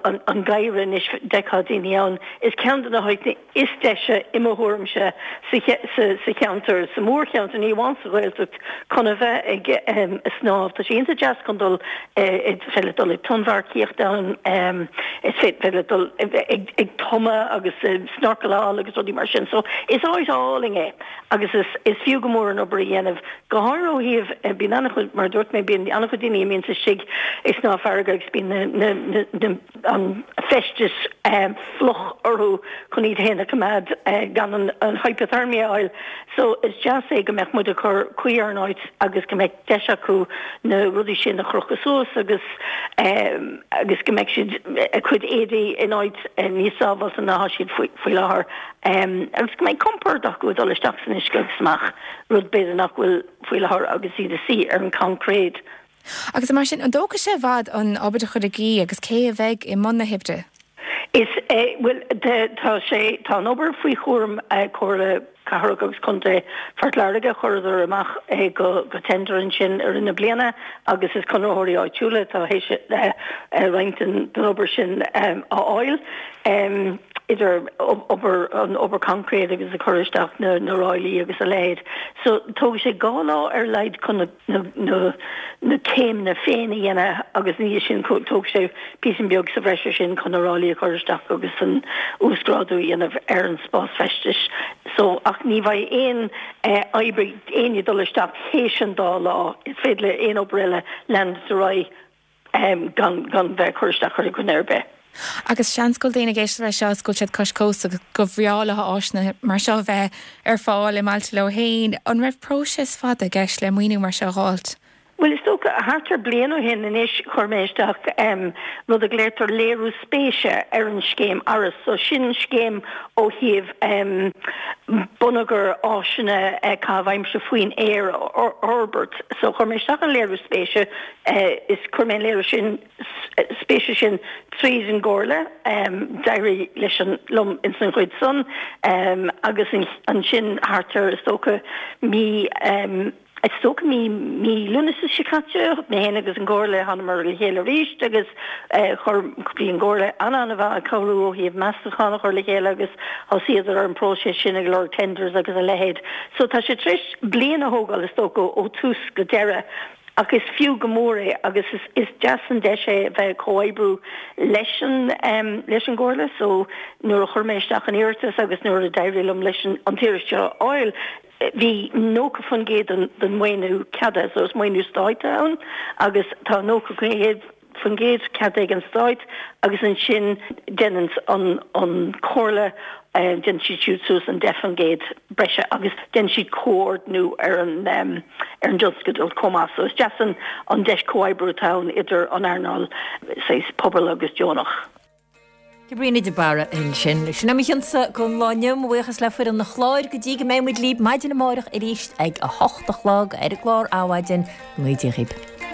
Speaker 6: an gheimhridh anois, d'fheicfeá daoine ann. Is ceann de na háiteanna is deise, i mo thuairimse, sa cheantar, sa mhórcheantar, ní amháin sa Ghaeltacht, chun a bheith ag snámh. Tá sé iontach deas chun dul, is féidir leat dul ag tonnmharcaíocht ann, is féidir leat dul ag tumadh agus snorcaláil agus rudaí mar sin. So, is áit álainn é. Agus is fiú go mór an obair a dhéanamh, go háirithe ó thaobh, bíonn an-chuid, mar a dúirt mé, bíonn an-chuid daoine a mbíonns istigh ag snámh farraige agus bíonn na, na, an feisteas fliuch orthu chun iad féin a choimeád gan an an hypothermia a fháil. So is deas é go mbeadh muid ag cur caoi ar an áit agus go mbeadh deis acu na rudaí sin a chrochadh suas agus agus go mbeadh siad a gcuid éadaí in áit níos sábháilte ná atá siad faoi láthair. Agus go mbeidh compord acu ag dul isteach san uisce agus amach, rud b'fhéidir nach bhfuil faoi láthair agus iad ag suí ar an gcoincréit.
Speaker 22: Agus mar sin, an dtógfaidh sé i bhfad an obair a chur i gcrích agus cé a bheidh i mbun na hoibre?
Speaker 6: Is é, bhuel, tá sé, tá an obair faoi chúram Comhairle Cathrach agus Contae Phort Láirge, chuireadar amach é go tender ansin i rith na bliana agus is conraitheoirí áitiúla atá théis roinnt den obair sin a fháil. idir obair, an obair concrete agus ag cur isteach na na ráillí agus a leithéid. So tógfaidh sé 2 lá ar a laghad chun na na na na céimeanna féin a dhéanamh agus ina dhiaidh sin tógfaidh sé píosa beag sa bhreis ar sin chun na ráillí a chur isteach agus an uasghrádú a dhéanamh ar an spás feistis. So ach ní bheidh aon oibrí éinne ag dul isteach théis an dá lá. Is féidir le aon obair eile leanúint ar aghaidh. gan gan bheith ag cur isteach ar dhuine ar bith.
Speaker 22: Agus seans go bhfuil daoine ag éisteacht leis seo is go bhfuil siad cois cósta agus gur bhreá leo áiseanna mar seo a bheith ar fáil i mbailte leo féin. An raibh próiseas fada i gceist le maoiniú mar seo a dh'fháilt?
Speaker 6: Bhuel, is dócha, thart ar bliain ó shin anois chuir mé isteach rud a ghlaotar léiriú spéise ar an scéim ARAS. So sin scéim ó thaobh bonneagar áiseanna caitheamh aimsire faoin aer a fhorbairt. So chuir mé isteach an léiriú spéise. Is chuir mé an léiriú sin spéise sin tríd an gComhairle. D'éirigh leis an liom ins an chuid san agus ansin thart ar is dócha mí. Is dócha mí mí Lúnasa seo caite, mé féin agus an Chomhairle, thánamar le chéile arís agus chuir, bhí an Chomhairle an-an-mhaith ag cabhrú ó thaobh meastachán a chur le chéile agus thosaíodar ar an bpróiseas sin ag lorg tenders agus a leithéid. So tá sé tar éis bliain a thógáil is dócha ó tús go deireadh ach is fiú go mór é agus is is deas an deis é a bheith ag comhoibriú leis an leis an gComhairle. So nuair a chuir mé isteach an iarratas agus nuair a d'éirigh liom leis an an t-iarratas seo a fháil, Bhí 90% den mhaoiniú ceadaithe, so is maoiniú stáit atá ann agus tá 90% ceadaithe ag an stát agus ansin déanann an an Chomhairle, déanann siad siúd suas an 10% breise agus déanann siad comhordnú ar an ar an dtionscadal chomh maith. So is deas an an deis comhoibriú atá ann idir an earnáil saghas pobail agus deonach.
Speaker 1: Caitríona de Barra ansin. Sin é mo chionsa don lá inniu. Mo bhuíochas le foireann an chláir go dtí go mbeidh muid libh maidin amárach arís ag a hocht a chlog ar an gclár Adhmhaidin. Go dtí dhaoibh.